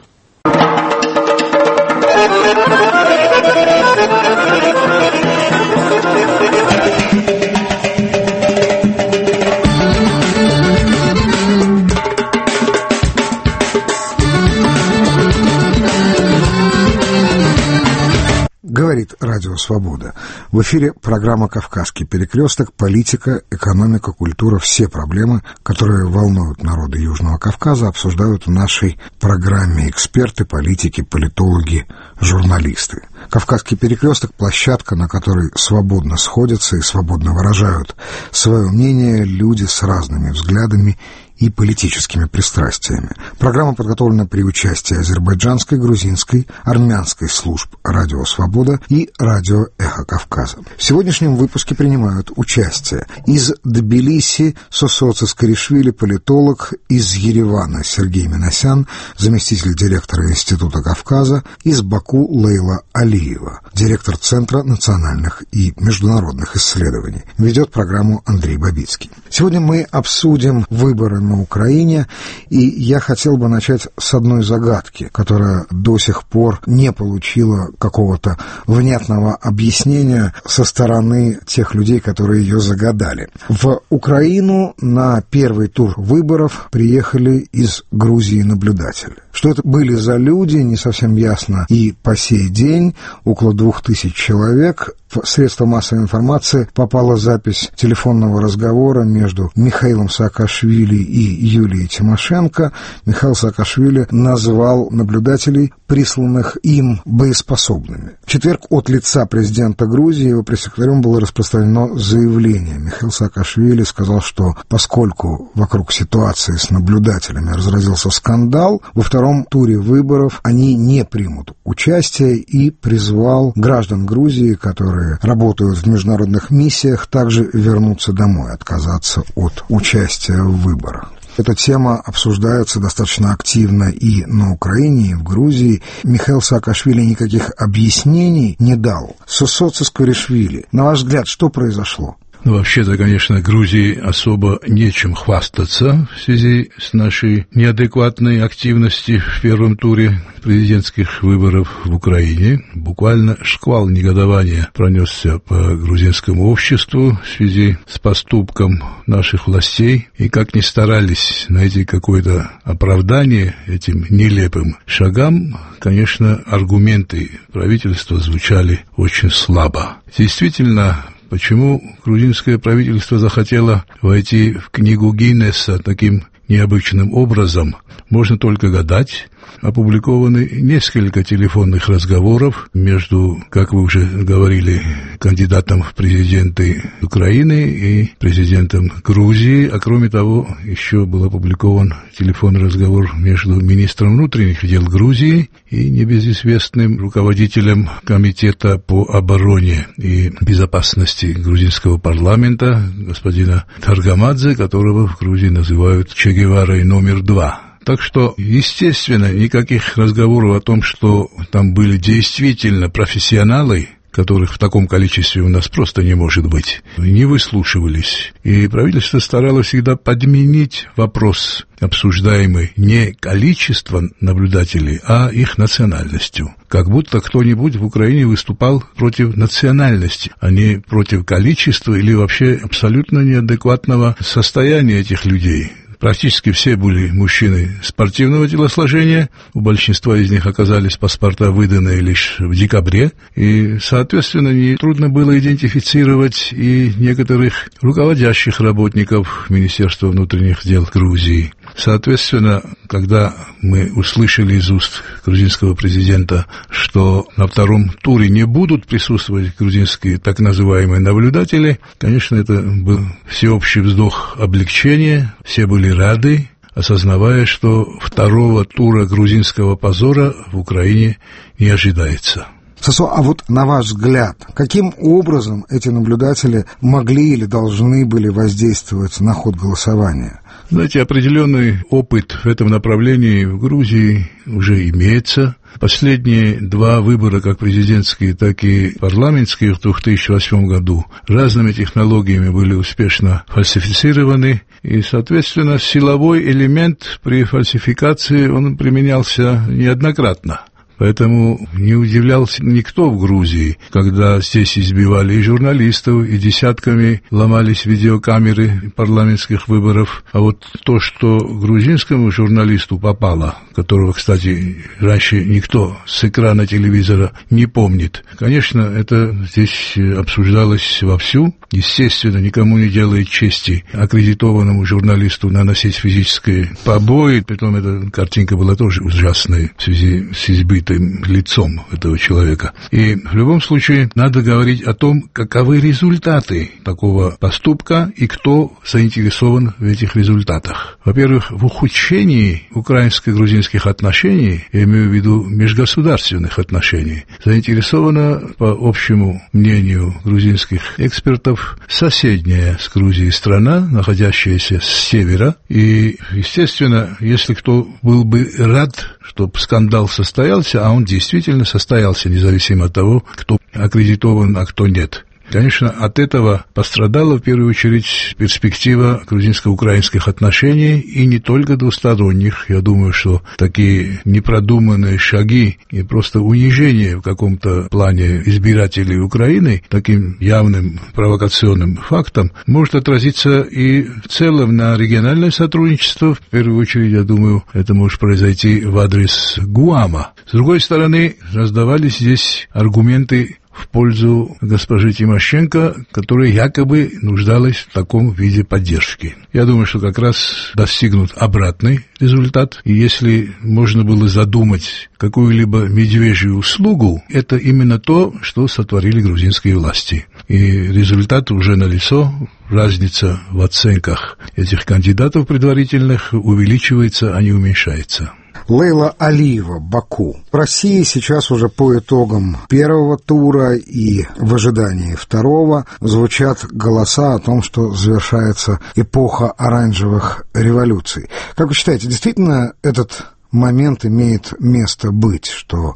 Говорит Радио Свобода. В эфире программа «Кавказский перекресток», политика, экономика, культура, все проблемы, которые волнуют народы Южного Кавказа, обсуждают в нашей программе эксперты, политики, политологи, журналисты. «Кавказский перекресток» — площадка, на которой свободно сходятся и свободно выражают свое мнение люди с разными взглядами и политическими пристрастиями. Программа подготовлена при участии азербайджанской, грузинской, армянской служб «Радио Свобода» и «Радио Эхо Кавказа». В сегодняшнем выпуске принимают участие из Тбилиси Сосо Цискаришвили, политолог, из Еревана Сергей Минасян, заместитель директора Института Кавказа, из Баку Лейла Алиева, директор Центра национальных и международных исследований. Ведет программу Андрей Бабицкий. Сегодня мы обсудим выборы на Украине, и я хотел бы начать с одной загадки, которая до сих пор не получила какого-то внятного объяснения со стороны тех людей, которые ее загадали. В Украину на первый тур выборов приехали из Грузии наблюдатели. Что это были за люди, не совсем ясно и по сей день. Около двух тысяч человек. В средства массовой информации попала запись телефонного разговора между Михаилом Саакашвили и Юлией Тимошенко. Михаил Саакашвили назвал наблюдателей, присланных им, боеспособными. В четверг от лица президента Грузии его пресс-секретарем было распространено заявление. Михаил Саакашвили сказал, что поскольку вокруг ситуации с наблюдателями разразился скандал, во втором туре выборов они не примут участие, и призвал граждан Грузии, которые работают в международных миссиях, также вернуться домой, отказаться от участия в выборах. Эта тема обсуждается достаточно активно и на Украине, и в Грузии. Михаил Саакашвили никаких объяснений не дал. Сосо Цискаришвили, на ваш взгляд, что произошло? Ну, вообще-то, конечно, Грузии особо нечем хвастаться в связи с нашей неадекватной активностью в первом туре президентских выборов в Украине. Буквально шквал негодования пронесся по грузинскому обществу в связи с поступком наших властей. И как ни старались найти какое-то оправдание этим нелепым шагам, конечно, аргументы правительства звучали очень слабо. Действительно, почему грузинское правительство захотело войти в книгу Гиннесса таким необычным образом, можно только гадать. Опубликованы несколько телефонных разговоров между, как вы уже говорили, кандидатом в президенты Украины и президентом Грузии, а кроме того, еще был опубликован телефонный разговор между министром внутренних дел Грузии и небезызвестным руководителем комитета по обороне и безопасности грузинского парламента, господина Таргамадзе, которого в Грузии называют Че Геварой номер два. Так что, естественно, никаких разговоров о том, что там были действительно профессионалы, которых в таком количестве у нас просто не может быть, не выслушивались. И правительство старалось всегда подменить вопрос, обсуждаемый не количеством наблюдателей, а их национальностью. Как будто кто-нибудь в Украине выступал против национальности, а не против количества или вообще абсолютно неадекватного состояния этих людей. Практически все были мужчины спортивного телосложения, у большинства из них оказались паспорта выданные лишь в декабре, и, соответственно, нетрудно было идентифицировать и некоторых руководящих работников Министерства внутренних дел Грузии. Соответственно, когда мы услышали из уст грузинского президента, что на втором туре не будут присутствовать грузинские так называемые наблюдатели, конечно, это был всеобщий вздох облегчения, все были рады, осознавая, что второго тура грузинского позора в Украине не ожидается. Сосо, а вот на ваш взгляд, каким образом эти наблюдатели могли или должны были воздействовать на ход голосования? Знаете, определенный опыт в этом направлении в Грузии уже имеется. Последние два выбора, как президентские, так и парламентские, в две тысячи восьмом году разными технологиями были успешно фальсифицированы, и, соответственно, силовой элемент при фальсификации он применялся неоднократно. Поэтому не удивлялся никто в Грузии, когда здесь избивали и журналистов, и десятками ломались видеокамеры парламентских выборов. А вот то, что грузинскому журналисту попало, которого, кстати, раньше никто с экрана телевизора не помнит, конечно, это здесь обсуждалось вовсю. Естественно, никому не делает чести аккредитованному журналисту наносить физические побои. Притом эта картинка была тоже ужасной в связи с избитым лицом этого человека. И в любом случае надо говорить о том, каковы результаты такого поступка и кто заинтересован в этих результатах. Во-первых, в ухудшении украинско-грузинских отношений, я имею в виду межгосударственных отношений, заинтересована, по общему мнению грузинских экспертов, соседняя с Грузией страна, находящаяся с севера. И, естественно, если кто был бы рад, чтобы скандал состоялся, а он действительно состоялся, независимо от того, кто аккредитован, а кто нет. Конечно, от этого пострадала в первую очередь перспектива грузинско-украинских отношений, и не только двусторонних. Я думаю, что такие непродуманные шаги и просто унижение в каком-то плане избирателей Украины таким явным провокационным фактом может отразиться и в целом на региональное сотрудничество. В первую очередь, я думаю, это может произойти в адрес Гуама. С другой стороны, раздавались здесь аргументы в пользу госпожи Тимошенко, которая якобы нуждалась в таком виде поддержки. Я думаю, что как раз достигнут обратный результат. И если можно было задумать какую-либо медвежью услугу, это именно то, что сотворили грузинские власти. И результат уже налицо. Разница в оценках этих кандидатов предварительных увеличивается, а не уменьшается. Лейла Алиева, Баку. В России сейчас уже по итогам первого тура и в ожидании второго звучат голоса о том, что завершается эпоха оранжевых революций. Как вы считаете, действительно этот момент имеет место быть, что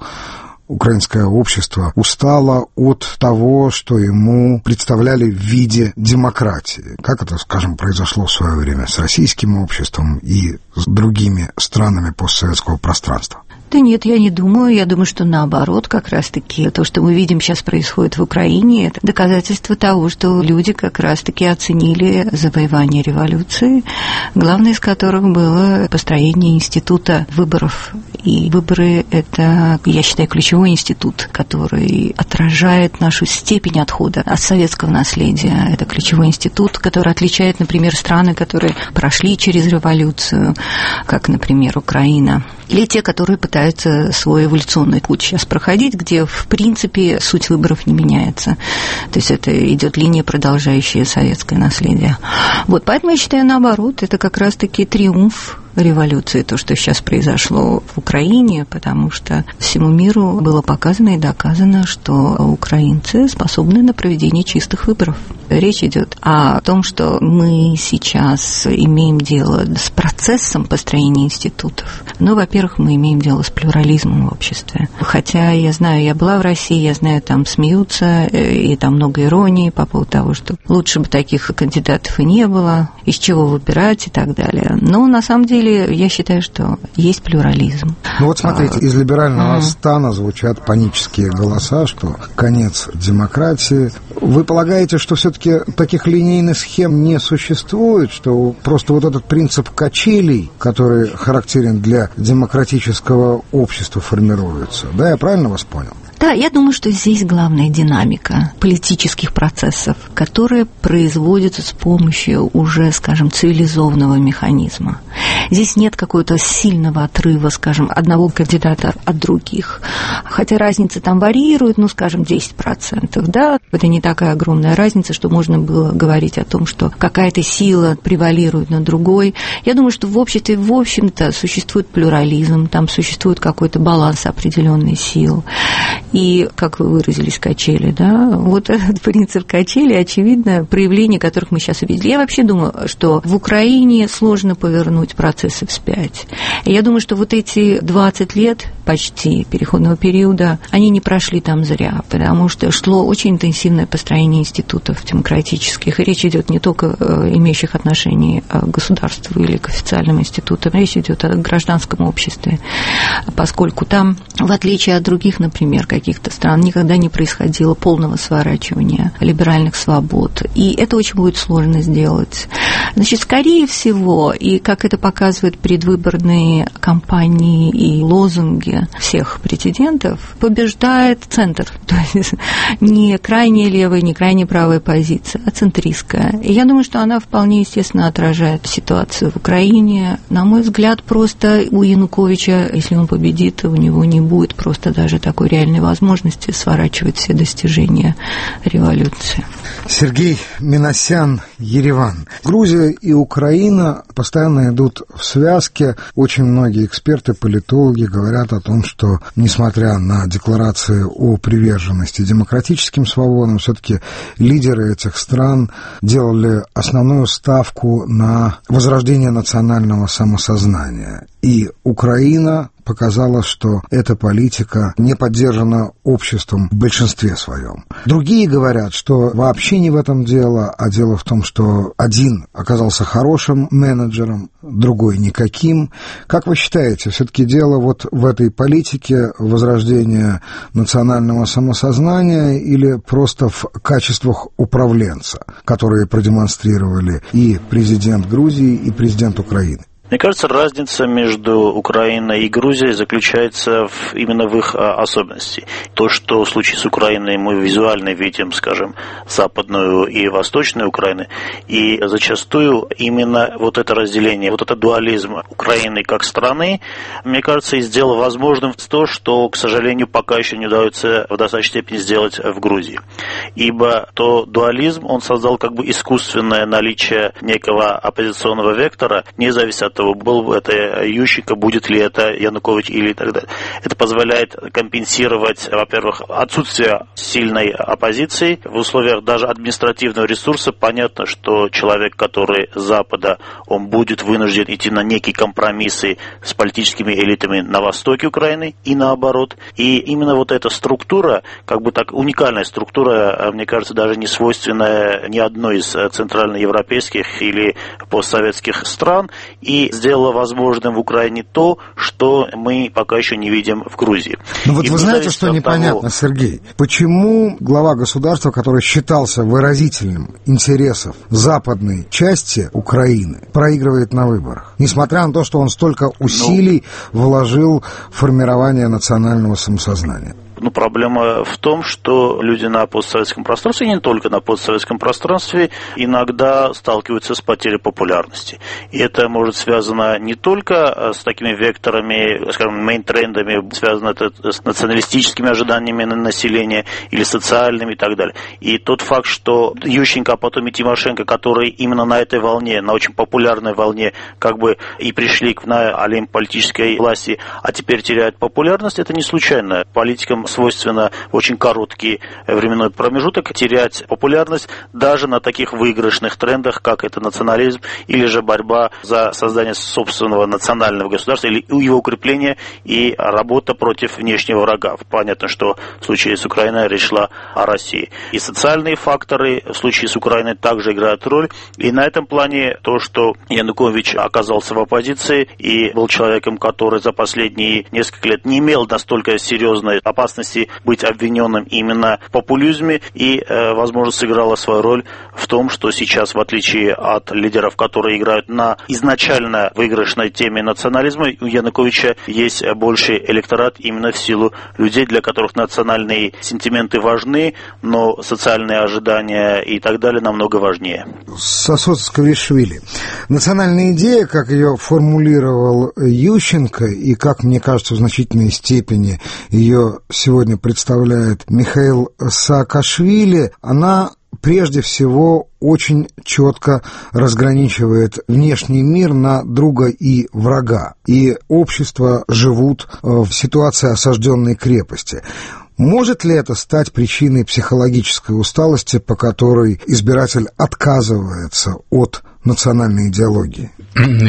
украинское общество устало от того, что ему представляли в виде демократии, как это, скажем, произошло в свое время с российским обществом и с другими странами постсоветского пространства? Да нет, я не думаю. Я думаю, что наоборот, как раз-таки то, что мы видим сейчас происходит в Украине, это доказательство того, что люди как раз-таки оценили завоевание революции, главное из которых было построение института выборов. И выборы – это, я считаю, ключевой институт, который отражает нашу степень отхода от советского наследия. Это ключевой институт, который отличает, например, страны, которые прошли через революцию, как, например, Украина, или те, которые пытаются свой эволюционный путь сейчас проходить, где, в принципе, суть выборов не меняется. То есть это идет линия, продолжающая советское наследие. Вот, поэтому я считаю, наоборот, это как раз-таки триумф революции, то, что сейчас произошло в Украине, потому что всему миру было показано и доказано, что украинцы способны на проведение чистых выборов. Речь идет о том, что мы сейчас имеем дело с процессом построения институтов. Ну, во-первых, мы имеем дело с плюрализмом в обществе. Хотя я знаю, я была в России, я знаю, там смеются, и там много иронии по поводу того, что лучше бы таких кандидатов и не было, из чего выбирать и так далее. Но на самом деле я считаю, что есть плюрализм. Ну вот смотрите, из либерального mm. стана звучат панические голоса, что конец демократии. Вы полагаете, что все-таки таких линейных схем не существует, что просто вот этот принцип качелей, который характерен для демократического общества, формируется? Да, я правильно вас понял? Да, я думаю, что здесь главная динамика политических процессов, которые производятся с помощью уже, скажем, цивилизованного механизма. Здесь нет какого-то сильного отрыва, скажем, одного кандидата от других. Хотя разница там варьирует, ну, скажем, десять процентов, да. Это не такая огромная разница, что можно было говорить о том, что какая-то сила превалирует над другой. Я думаю, что в обществе, в общем-то, существует плюрализм, там существует какой-то баланс определенных сил. И, как вы выразились, качели, да, вот этот принцип качели, очевидно, проявление которых мы сейчас увидели. Я вообще думаю, что в Украине сложно повернуть процессы вспять. И я думаю, что вот эти двадцать лет почти переходного периода, они не прошли там зря, потому что шло очень интенсивное построение институтов демократических, и речь идет не только имеющих отношение к государству или к официальным институтам, речь идет о гражданском обществе, поскольку там, в отличие от других, например, каких-то стран, никогда не происходило полного сворачивания либеральных свобод, и это очень будет сложно сделать. Значит, скорее всего, и как это показывают предвыборные кампании и лозунги всех претендентов, побеждает центр, то есть не крайне левая, не крайне правая позиция, а центристская. И я думаю, что она вполне естественно отражает ситуацию в Украине. На мой взгляд, просто у Януковича, если он победит, у него не будет просто даже такой реальной возможности сворачивать все достижения революции. Сергей Минасян, Ереван. Грузия и Украина постоянно идут в связке. Очень многие эксперты, политологи говорят о том, что, несмотря на декларации о приверженности демократическим свободам, все-таки лидеры этих стран делали основную ставку на возрождение национального самосознания. И Украина показала, что эта политика не поддержана обществом в большинстве своем. Другие говорят, что вообще не в этом дело, а дело в том, что один оказался хорошим менеджером, другой никаким. Как вы считаете, все-таки дело вот в этой политике возрождения национального самосознания или просто в качествах управленца, которые продемонстрировали и президент Грузии, и президент Украины? Мне кажется, разница между Украиной и Грузией заключается в, именно в их а, особенности. То, что в случае с Украиной мы визуально видим, скажем, западную и восточную Украину, и зачастую именно вот это разделение, вот этот дуализм Украины как страны, мне кажется, и сделал возможным то, что, к сожалению, пока еще не удается в достаточной степени сделать в Грузии. Ибо то дуализм, он создал как бы искусственное наличие некого оппозиционного вектора, не зависит от того, был бы это Ющенко, будет ли это Янукович или так далее. Это позволяет компенсировать, во-первых, отсутствие сильной оппозиции. В условиях даже административного ресурса понятно, что человек, который с Запада, он будет вынужден идти на некие компромиссы с политическими элитами на востоке Украины и наоборот. И именно вот эта структура, как бы так уникальная структура, мне кажется, даже не свойственная ни одной из центральноевропейских или постсоветских стран, и сделала возможным в Украине то, что мы пока еще не видим в Грузии. Ну вот и вы знаете, что непонятно, того... Сергей? Почему глава государства, который считался выразителем интересов западной части Украины, проигрывает на выборах? Несмотря на то, что он столько усилий ну... вложил в формирование национального самосознания. Ну, проблема в том, что люди на постсоветском пространстве, и не только на постсоветском пространстве, иногда сталкиваются с потерей популярности. И это может связано не только с такими векторами, скажем, мейнтрендами, связано это с националистическими ожиданиями населения или социальными и так далее. И тот факт, что Ющенко, а потом и Тимошенко, которые именно на этой волне, на очень популярной волне, как бы и пришли на олимп политической власти, а теперь теряют популярность, это не случайно. Политикам свойственно в очень короткий временной промежуток терять популярность даже на таких выигрышных трендах, как это национализм или же борьба за создание собственного национального государства или его укрепление и работа против внешнего врага. Понятно, что в случае с Украиной речь шла о России. И социальные факторы в случае с Украиной также играют роль. И на этом плане то, что Янукович оказался в оппозиции и был человеком, который за последние несколько лет не имел настолько серьезной опасности опасности быть обвиненным именно в популизме, и, возможно, сыграла свою роль в том, что сейчас, в отличие от лидеров, которые играют на изначально выигрышной теме национализма, у Януковича есть больший электорат именно в силу людей, для которых национальные сентименты важны, но социальные ожидания и так далее намного важнее. Сосод Скавишвили. Национальная идея, как ее формулировал Ющенко, и как, мне кажется, в значительной степени ее сегодня представляет Михаил Саакашвили, она прежде всего очень четко разграничивает внешний мир на друга и врага. И общества живут в ситуации осажденной крепости. Может ли это стать причиной психологической усталости, по которой избиратель отказывается от национальной идеологии?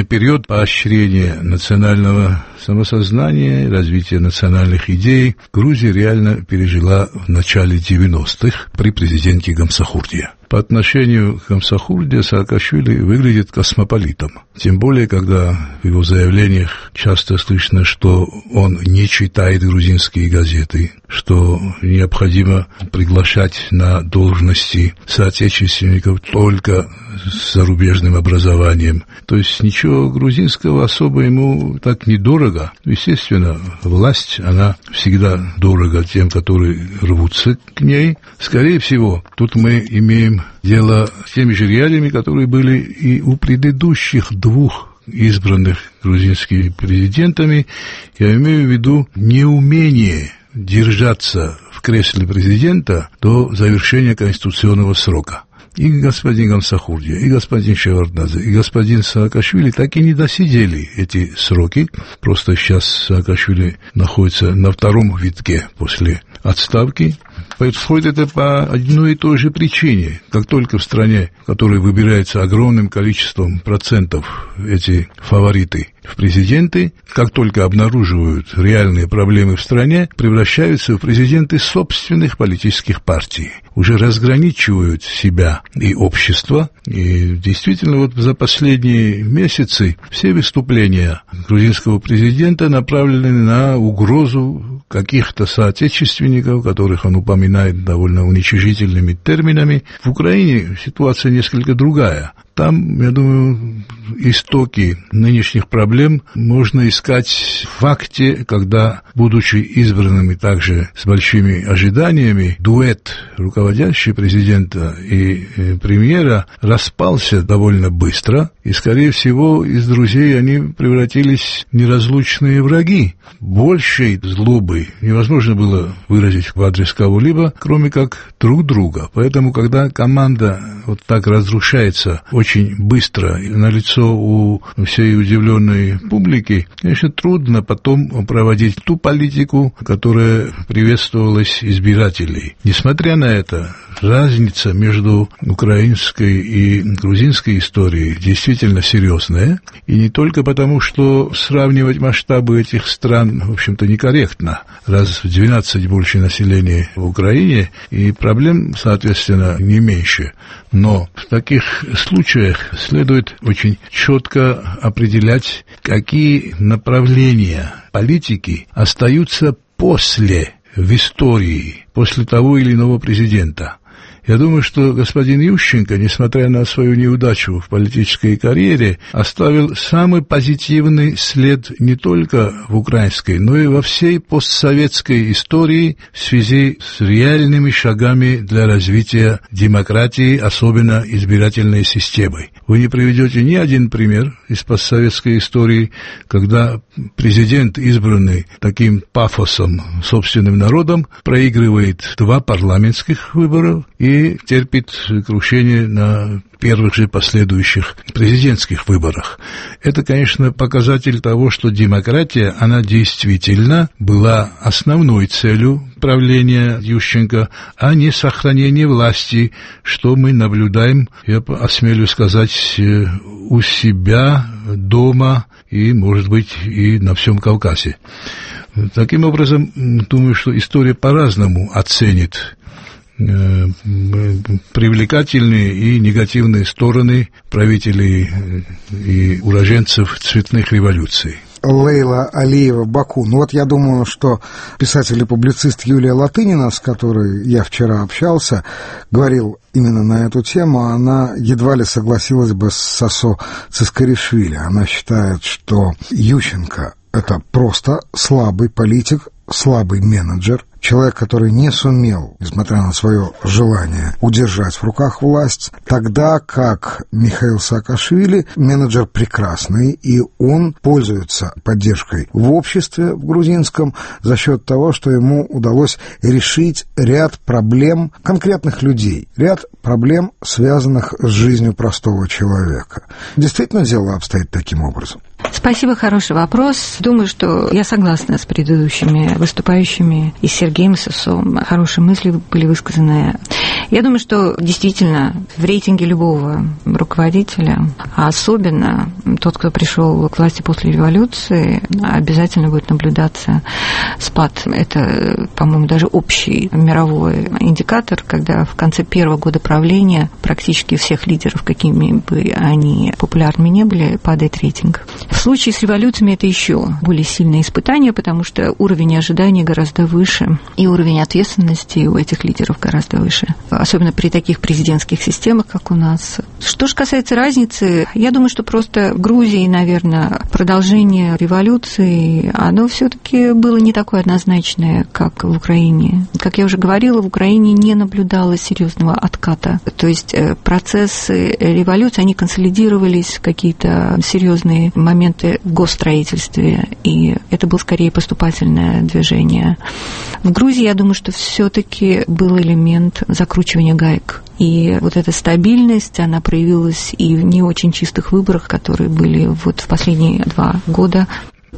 Период поощрения национального самосознания, развития национальных идей Грузия реально пережила в начале девяностых при президенте Гамсахурдие. По отношению к Гамсахурдие Саакашвили выглядит космополитом. Тем более, когда в его заявлениях часто слышно, что он не читает грузинские газеты, что необходимо приглашать на должности соотечественников только с зарубежным образованием. То есть ничего грузинского особо ему так недорого. Естественно, власть, она всегда дорога тем, которые рвутся к ней. Скорее всего, тут мы имеем дело с теми же реалиями, которые были и у предыдущих двух избранных грузинскими президентами. Я имею в виду неумение держаться в кресле президента до завершения конституционного срока. И господин Гамсахурдия, и господин Шеварднадзе, и господин Саакашвили так и не досидели эти сроки. Просто сейчас Саакашвили находится на втором витке после отставки. Происходит это по одной и той же причине. Как только в стране, в которой выбирается огромным количеством процентов эти фавориты в президенты, как только обнаруживают реальные проблемы в стране, превращаются в президенты собственных политических партий. Уже разграничивают себя и общество. И действительно, вот за последние месяцы все выступления грузинского президента направлены на угрозу каких-то соотечественников, которых он упоминает довольно уничижительными терминами. В Украине ситуация несколько другая. Там, я думаю, истоки нынешних проблем можно искать в факте, когда, будучи избранными также с большими ожиданиями, дуэт руководящего президента и премьера распался довольно быстро, и, скорее всего, из друзей они превратились в неразлучные враги. Большей злобы невозможно было выразить в адрес кого-либо, кроме как друг друга. Поэтому, когда команда вот так разрушается очень быстро на лицо у всей удивленной публики, конечно, трудно потом проводить ту политику, которая приветствовалась избирателей. Несмотря на это, разница между украинской и грузинской историей действительно серьезная, и не только потому, что сравнивать масштабы этих стран, в общем-то, некорректно. Раз в двенадцать больше населения в Украине, и проблем, соответственно, не меньше. Но в таких случаях следует очень четко определять, какие направления политики остаются после, в истории, после того или иного президента. Я думаю, что господин Ющенко, несмотря на свою неудачу в политической карьере, оставил самый позитивный след не только в украинской, но и во всей постсоветской истории в связи с реальными шагами для развития демократии, особенно избирательной системой. Вы не приведете ни один пример из постсоветской истории, когда президент, избранный таким пафосом собственным народом, проигрывает два парламентских выбора и и терпит крушение на первых же последующих президентских выборах. Это, конечно, показатель того, что демократия, она действительно была основной целью правления Ющенко, а не сохранение власти, что мы наблюдаем, я осмелюсь сказать, у себя дома и, может быть, и на всем Кавказе. Таким образом, думаю, что история по-разному оценит привлекательные и негативные стороны правителей и уроженцев цветных революций. Лейла Алиева Баку. Ну вот я думаю, что писатель и публицист Юлия Латынина, с которой я вчера общался, говорил именно на эту тему, она едва ли согласилась бы с Сосо Цискаришвили. Она считает, что Ющенко – это просто слабый политик, слабый менеджер, человек, который не сумел, несмотря на свое желание, удержать в руках власть, тогда как Михаил Саакашвили менеджер прекрасный, и он пользуется поддержкой в обществе в грузинском за счет того, что ему удалось решить ряд проблем конкретных людей, ряд проблем, связанных с жизнью простого человека. Действительно, дело обстоит таким образом. Спасибо, хороший вопрос. Думаю, что я согласна с предыдущими выступающими и с Сергеем Сосом. Хорошие мысли были высказаны. Я думаю, что действительно в рейтинге любого руководителя, а особенно тот, кто пришел к власти после революции, обязательно будет наблюдаться спад. Это, по-моему, даже общий мировой индикатор, когда в конце первого года правления практически всех лидеров, какими бы они популярными не были, падает рейтинг. В случае с революциями это еще более сильное испытание, потому что уровень ожиданий гораздо выше, и уровень ответственности у этих лидеров гораздо выше, особенно при таких президентских системах, как у нас. Что же касается разницы, я думаю, что просто в Грузии, наверное, продолжение революции, оно все-таки было не такое однозначное, как в Украине. Как я уже говорила, в Украине не наблюдалось серьезного отката. То есть процессы революции, они консолидировались, какие-то серьезные моменты в госстроительстве, и это было скорее поступательное движение. В Грузии, я думаю, что все-таки был элемент закручивания гаек. И вот эта стабильность, она проявилась и в не очень чистых выборах, которые были вот в последние два года.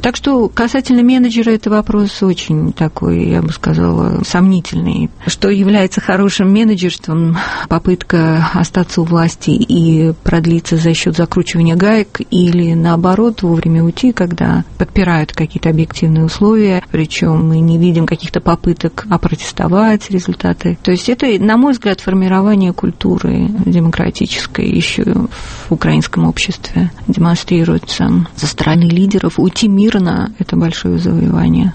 Так что касательно менеджера, это вопрос очень такой, я бы сказала, сомнительный. Что является хорошим менеджерством? Попытка остаться у власти и продлиться за счет закручивания гаек, или наоборот вовремя уйти, когда подпирают какие-то объективные условия, причем мы не видим каких-то попыток опротестовать результаты. То есть это, на мой взгляд, формирование культуры демократической еще в украинском обществе демонстрируется со стороны лидеров. Уйти мирно — это большое завоевание.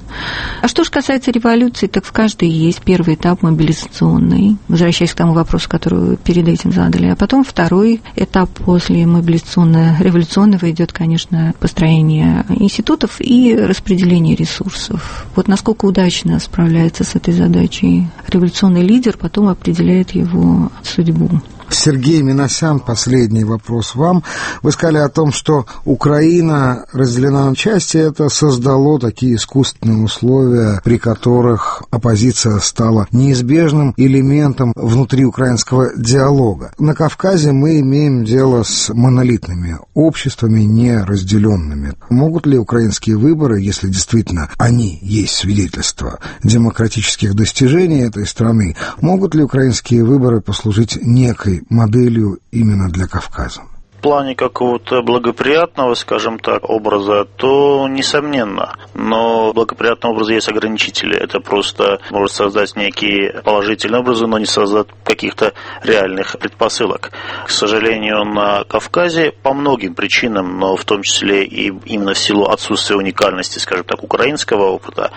А что же касается революции, так в каждой есть первый этап мобилизационный, возвращаясь к тому вопросу, который вы перед этим задали. А потом второй этап после мобилизационно-революционного идет, конечно, построение институтов и распределение ресурсов. Вот насколько удачно справляется с этой задачей революционный лидер, потом определяет его судьбу. Сергей Минасян, последний вопрос вам. Вы сказали о том, что Украина разделена на части, это создало такие искусственные условия, при которых оппозиция стала неизбежным элементом внутри украинского диалога. На Кавказе мы имеем дело с монолитными обществами, не разделенными. Могут ли украинские выборы, если действительно они есть свидетельство демократических достижений этой страны, могут ли украинские выборы послужить некой моделью именно для Кавказа? В плане какого-то благоприятного, скажем так, образа, то несомненно. Но благоприятного образа есть ограничители. Это просто может создать некие положительные образы, но не создать каких-то реальных предпосылок. К сожалению, на Кавказе по многим причинам, но в том числе и именно в силу отсутствия уникальности, скажем так, украинского опыта,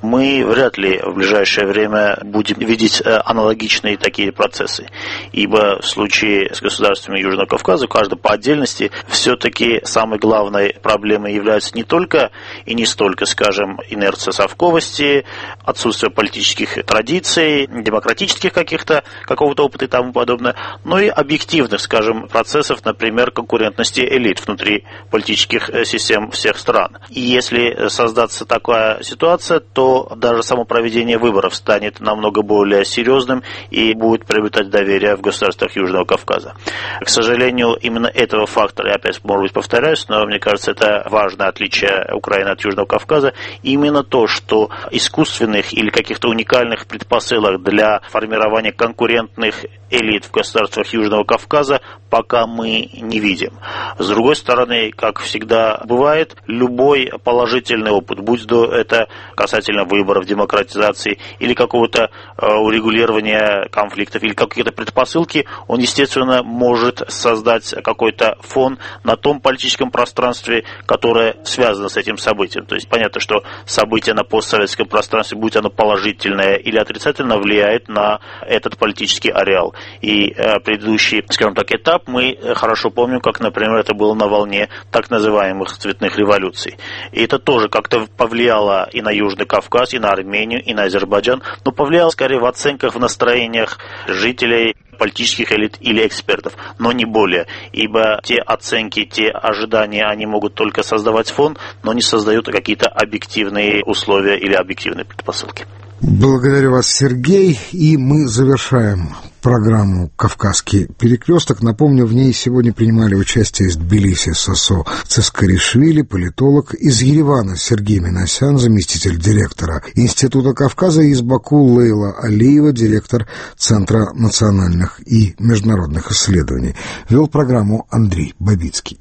мы вряд ли в ближайшее время будем видеть аналогичные такие процессы. Ибо в случае с государствами Южного Кавказа каждый по отдельности все-таки самой главной проблемой является не только и не столько, скажем, инерция совковости, отсутствие политических традиций, демократических каких-то, какого-то опыта и тому подобное, но и объективных, скажем, процессов, например, конкурентности элит внутри политических систем всех стран. И если создаться такая ситуация, то даже само проведение выборов станет намного более серьезным и будет приобретать доверие в государствах Южного Кавказа. К сожалению, именно этого фактора, я опять, может быть, повторяюсь, но мне кажется, это важное отличие Украины от Южного Кавказа, именно то, что искусственных или каких-то уникальных предпосылок для формирования конкурентных элит в государствах Южного Кавказа пока мы не видим. С другой стороны, как всегда бывает, любой положительный опыт, будь то это касательно выборов, демократизации или какого-то урегулирования конфликтов или какие-то предпосылки, он, естественно, может создать какой-то какой-то фон на том политическом пространстве, которое связано с этим событием. То есть понятно, что событие на постсоветском пространстве, будь оно положительное или отрицательно, влияет на этот политический ареал. И э, предыдущий, скажем так, этап мы хорошо помним, как, например, это было на волне так называемых цветных революций. И это тоже как-то повлияло и на Южный Кавказ, и на Армению, и на Азербайджан, но повлияло скорее в оценках, в настроениях жителей, политических элит или экспертов, но не более. Ибо те оценки, те ожидания, они могут только создавать фон, но не создают какие-то объективные условия или объективные предпосылки. Благодарю вас, Сергей, и мы завершаем программу «Кавказский перекресток». Напомню, в ней сегодня принимали участие из Тбилиси Сосо Цискаришвили, политолог, из Еревана Сергей Минасян, заместитель директора Института Кавказа, и из Баку Лейла Алиева, директор Центра национальных и международных исследований. Вел программу Андрей Бабицкий.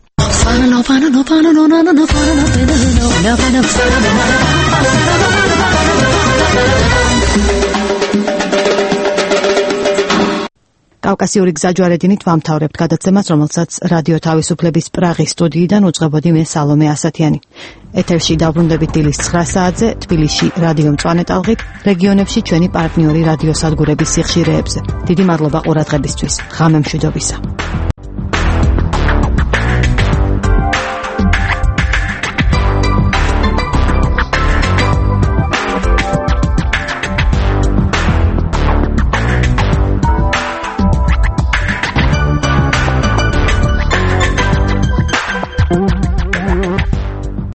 კავკასიური გზაჯვარედინით ვამთავრებთ გადაცემას, რომელსაც რადიო თავისუფლების პრაღის სტუდიიდან უძღვებოდი მე სალომე ასათიანი. ეთერში დავბრუნდებით დილის ცხრა საათზე, თბილისში რადიო მწვანე ტალღით, რეგიონებში ჩვენი პარტნიორი რადიოსადგურების სიხშირეებზე. დიდი მადლობა ყურადღებისთვის. ღამე მშვიდობისა.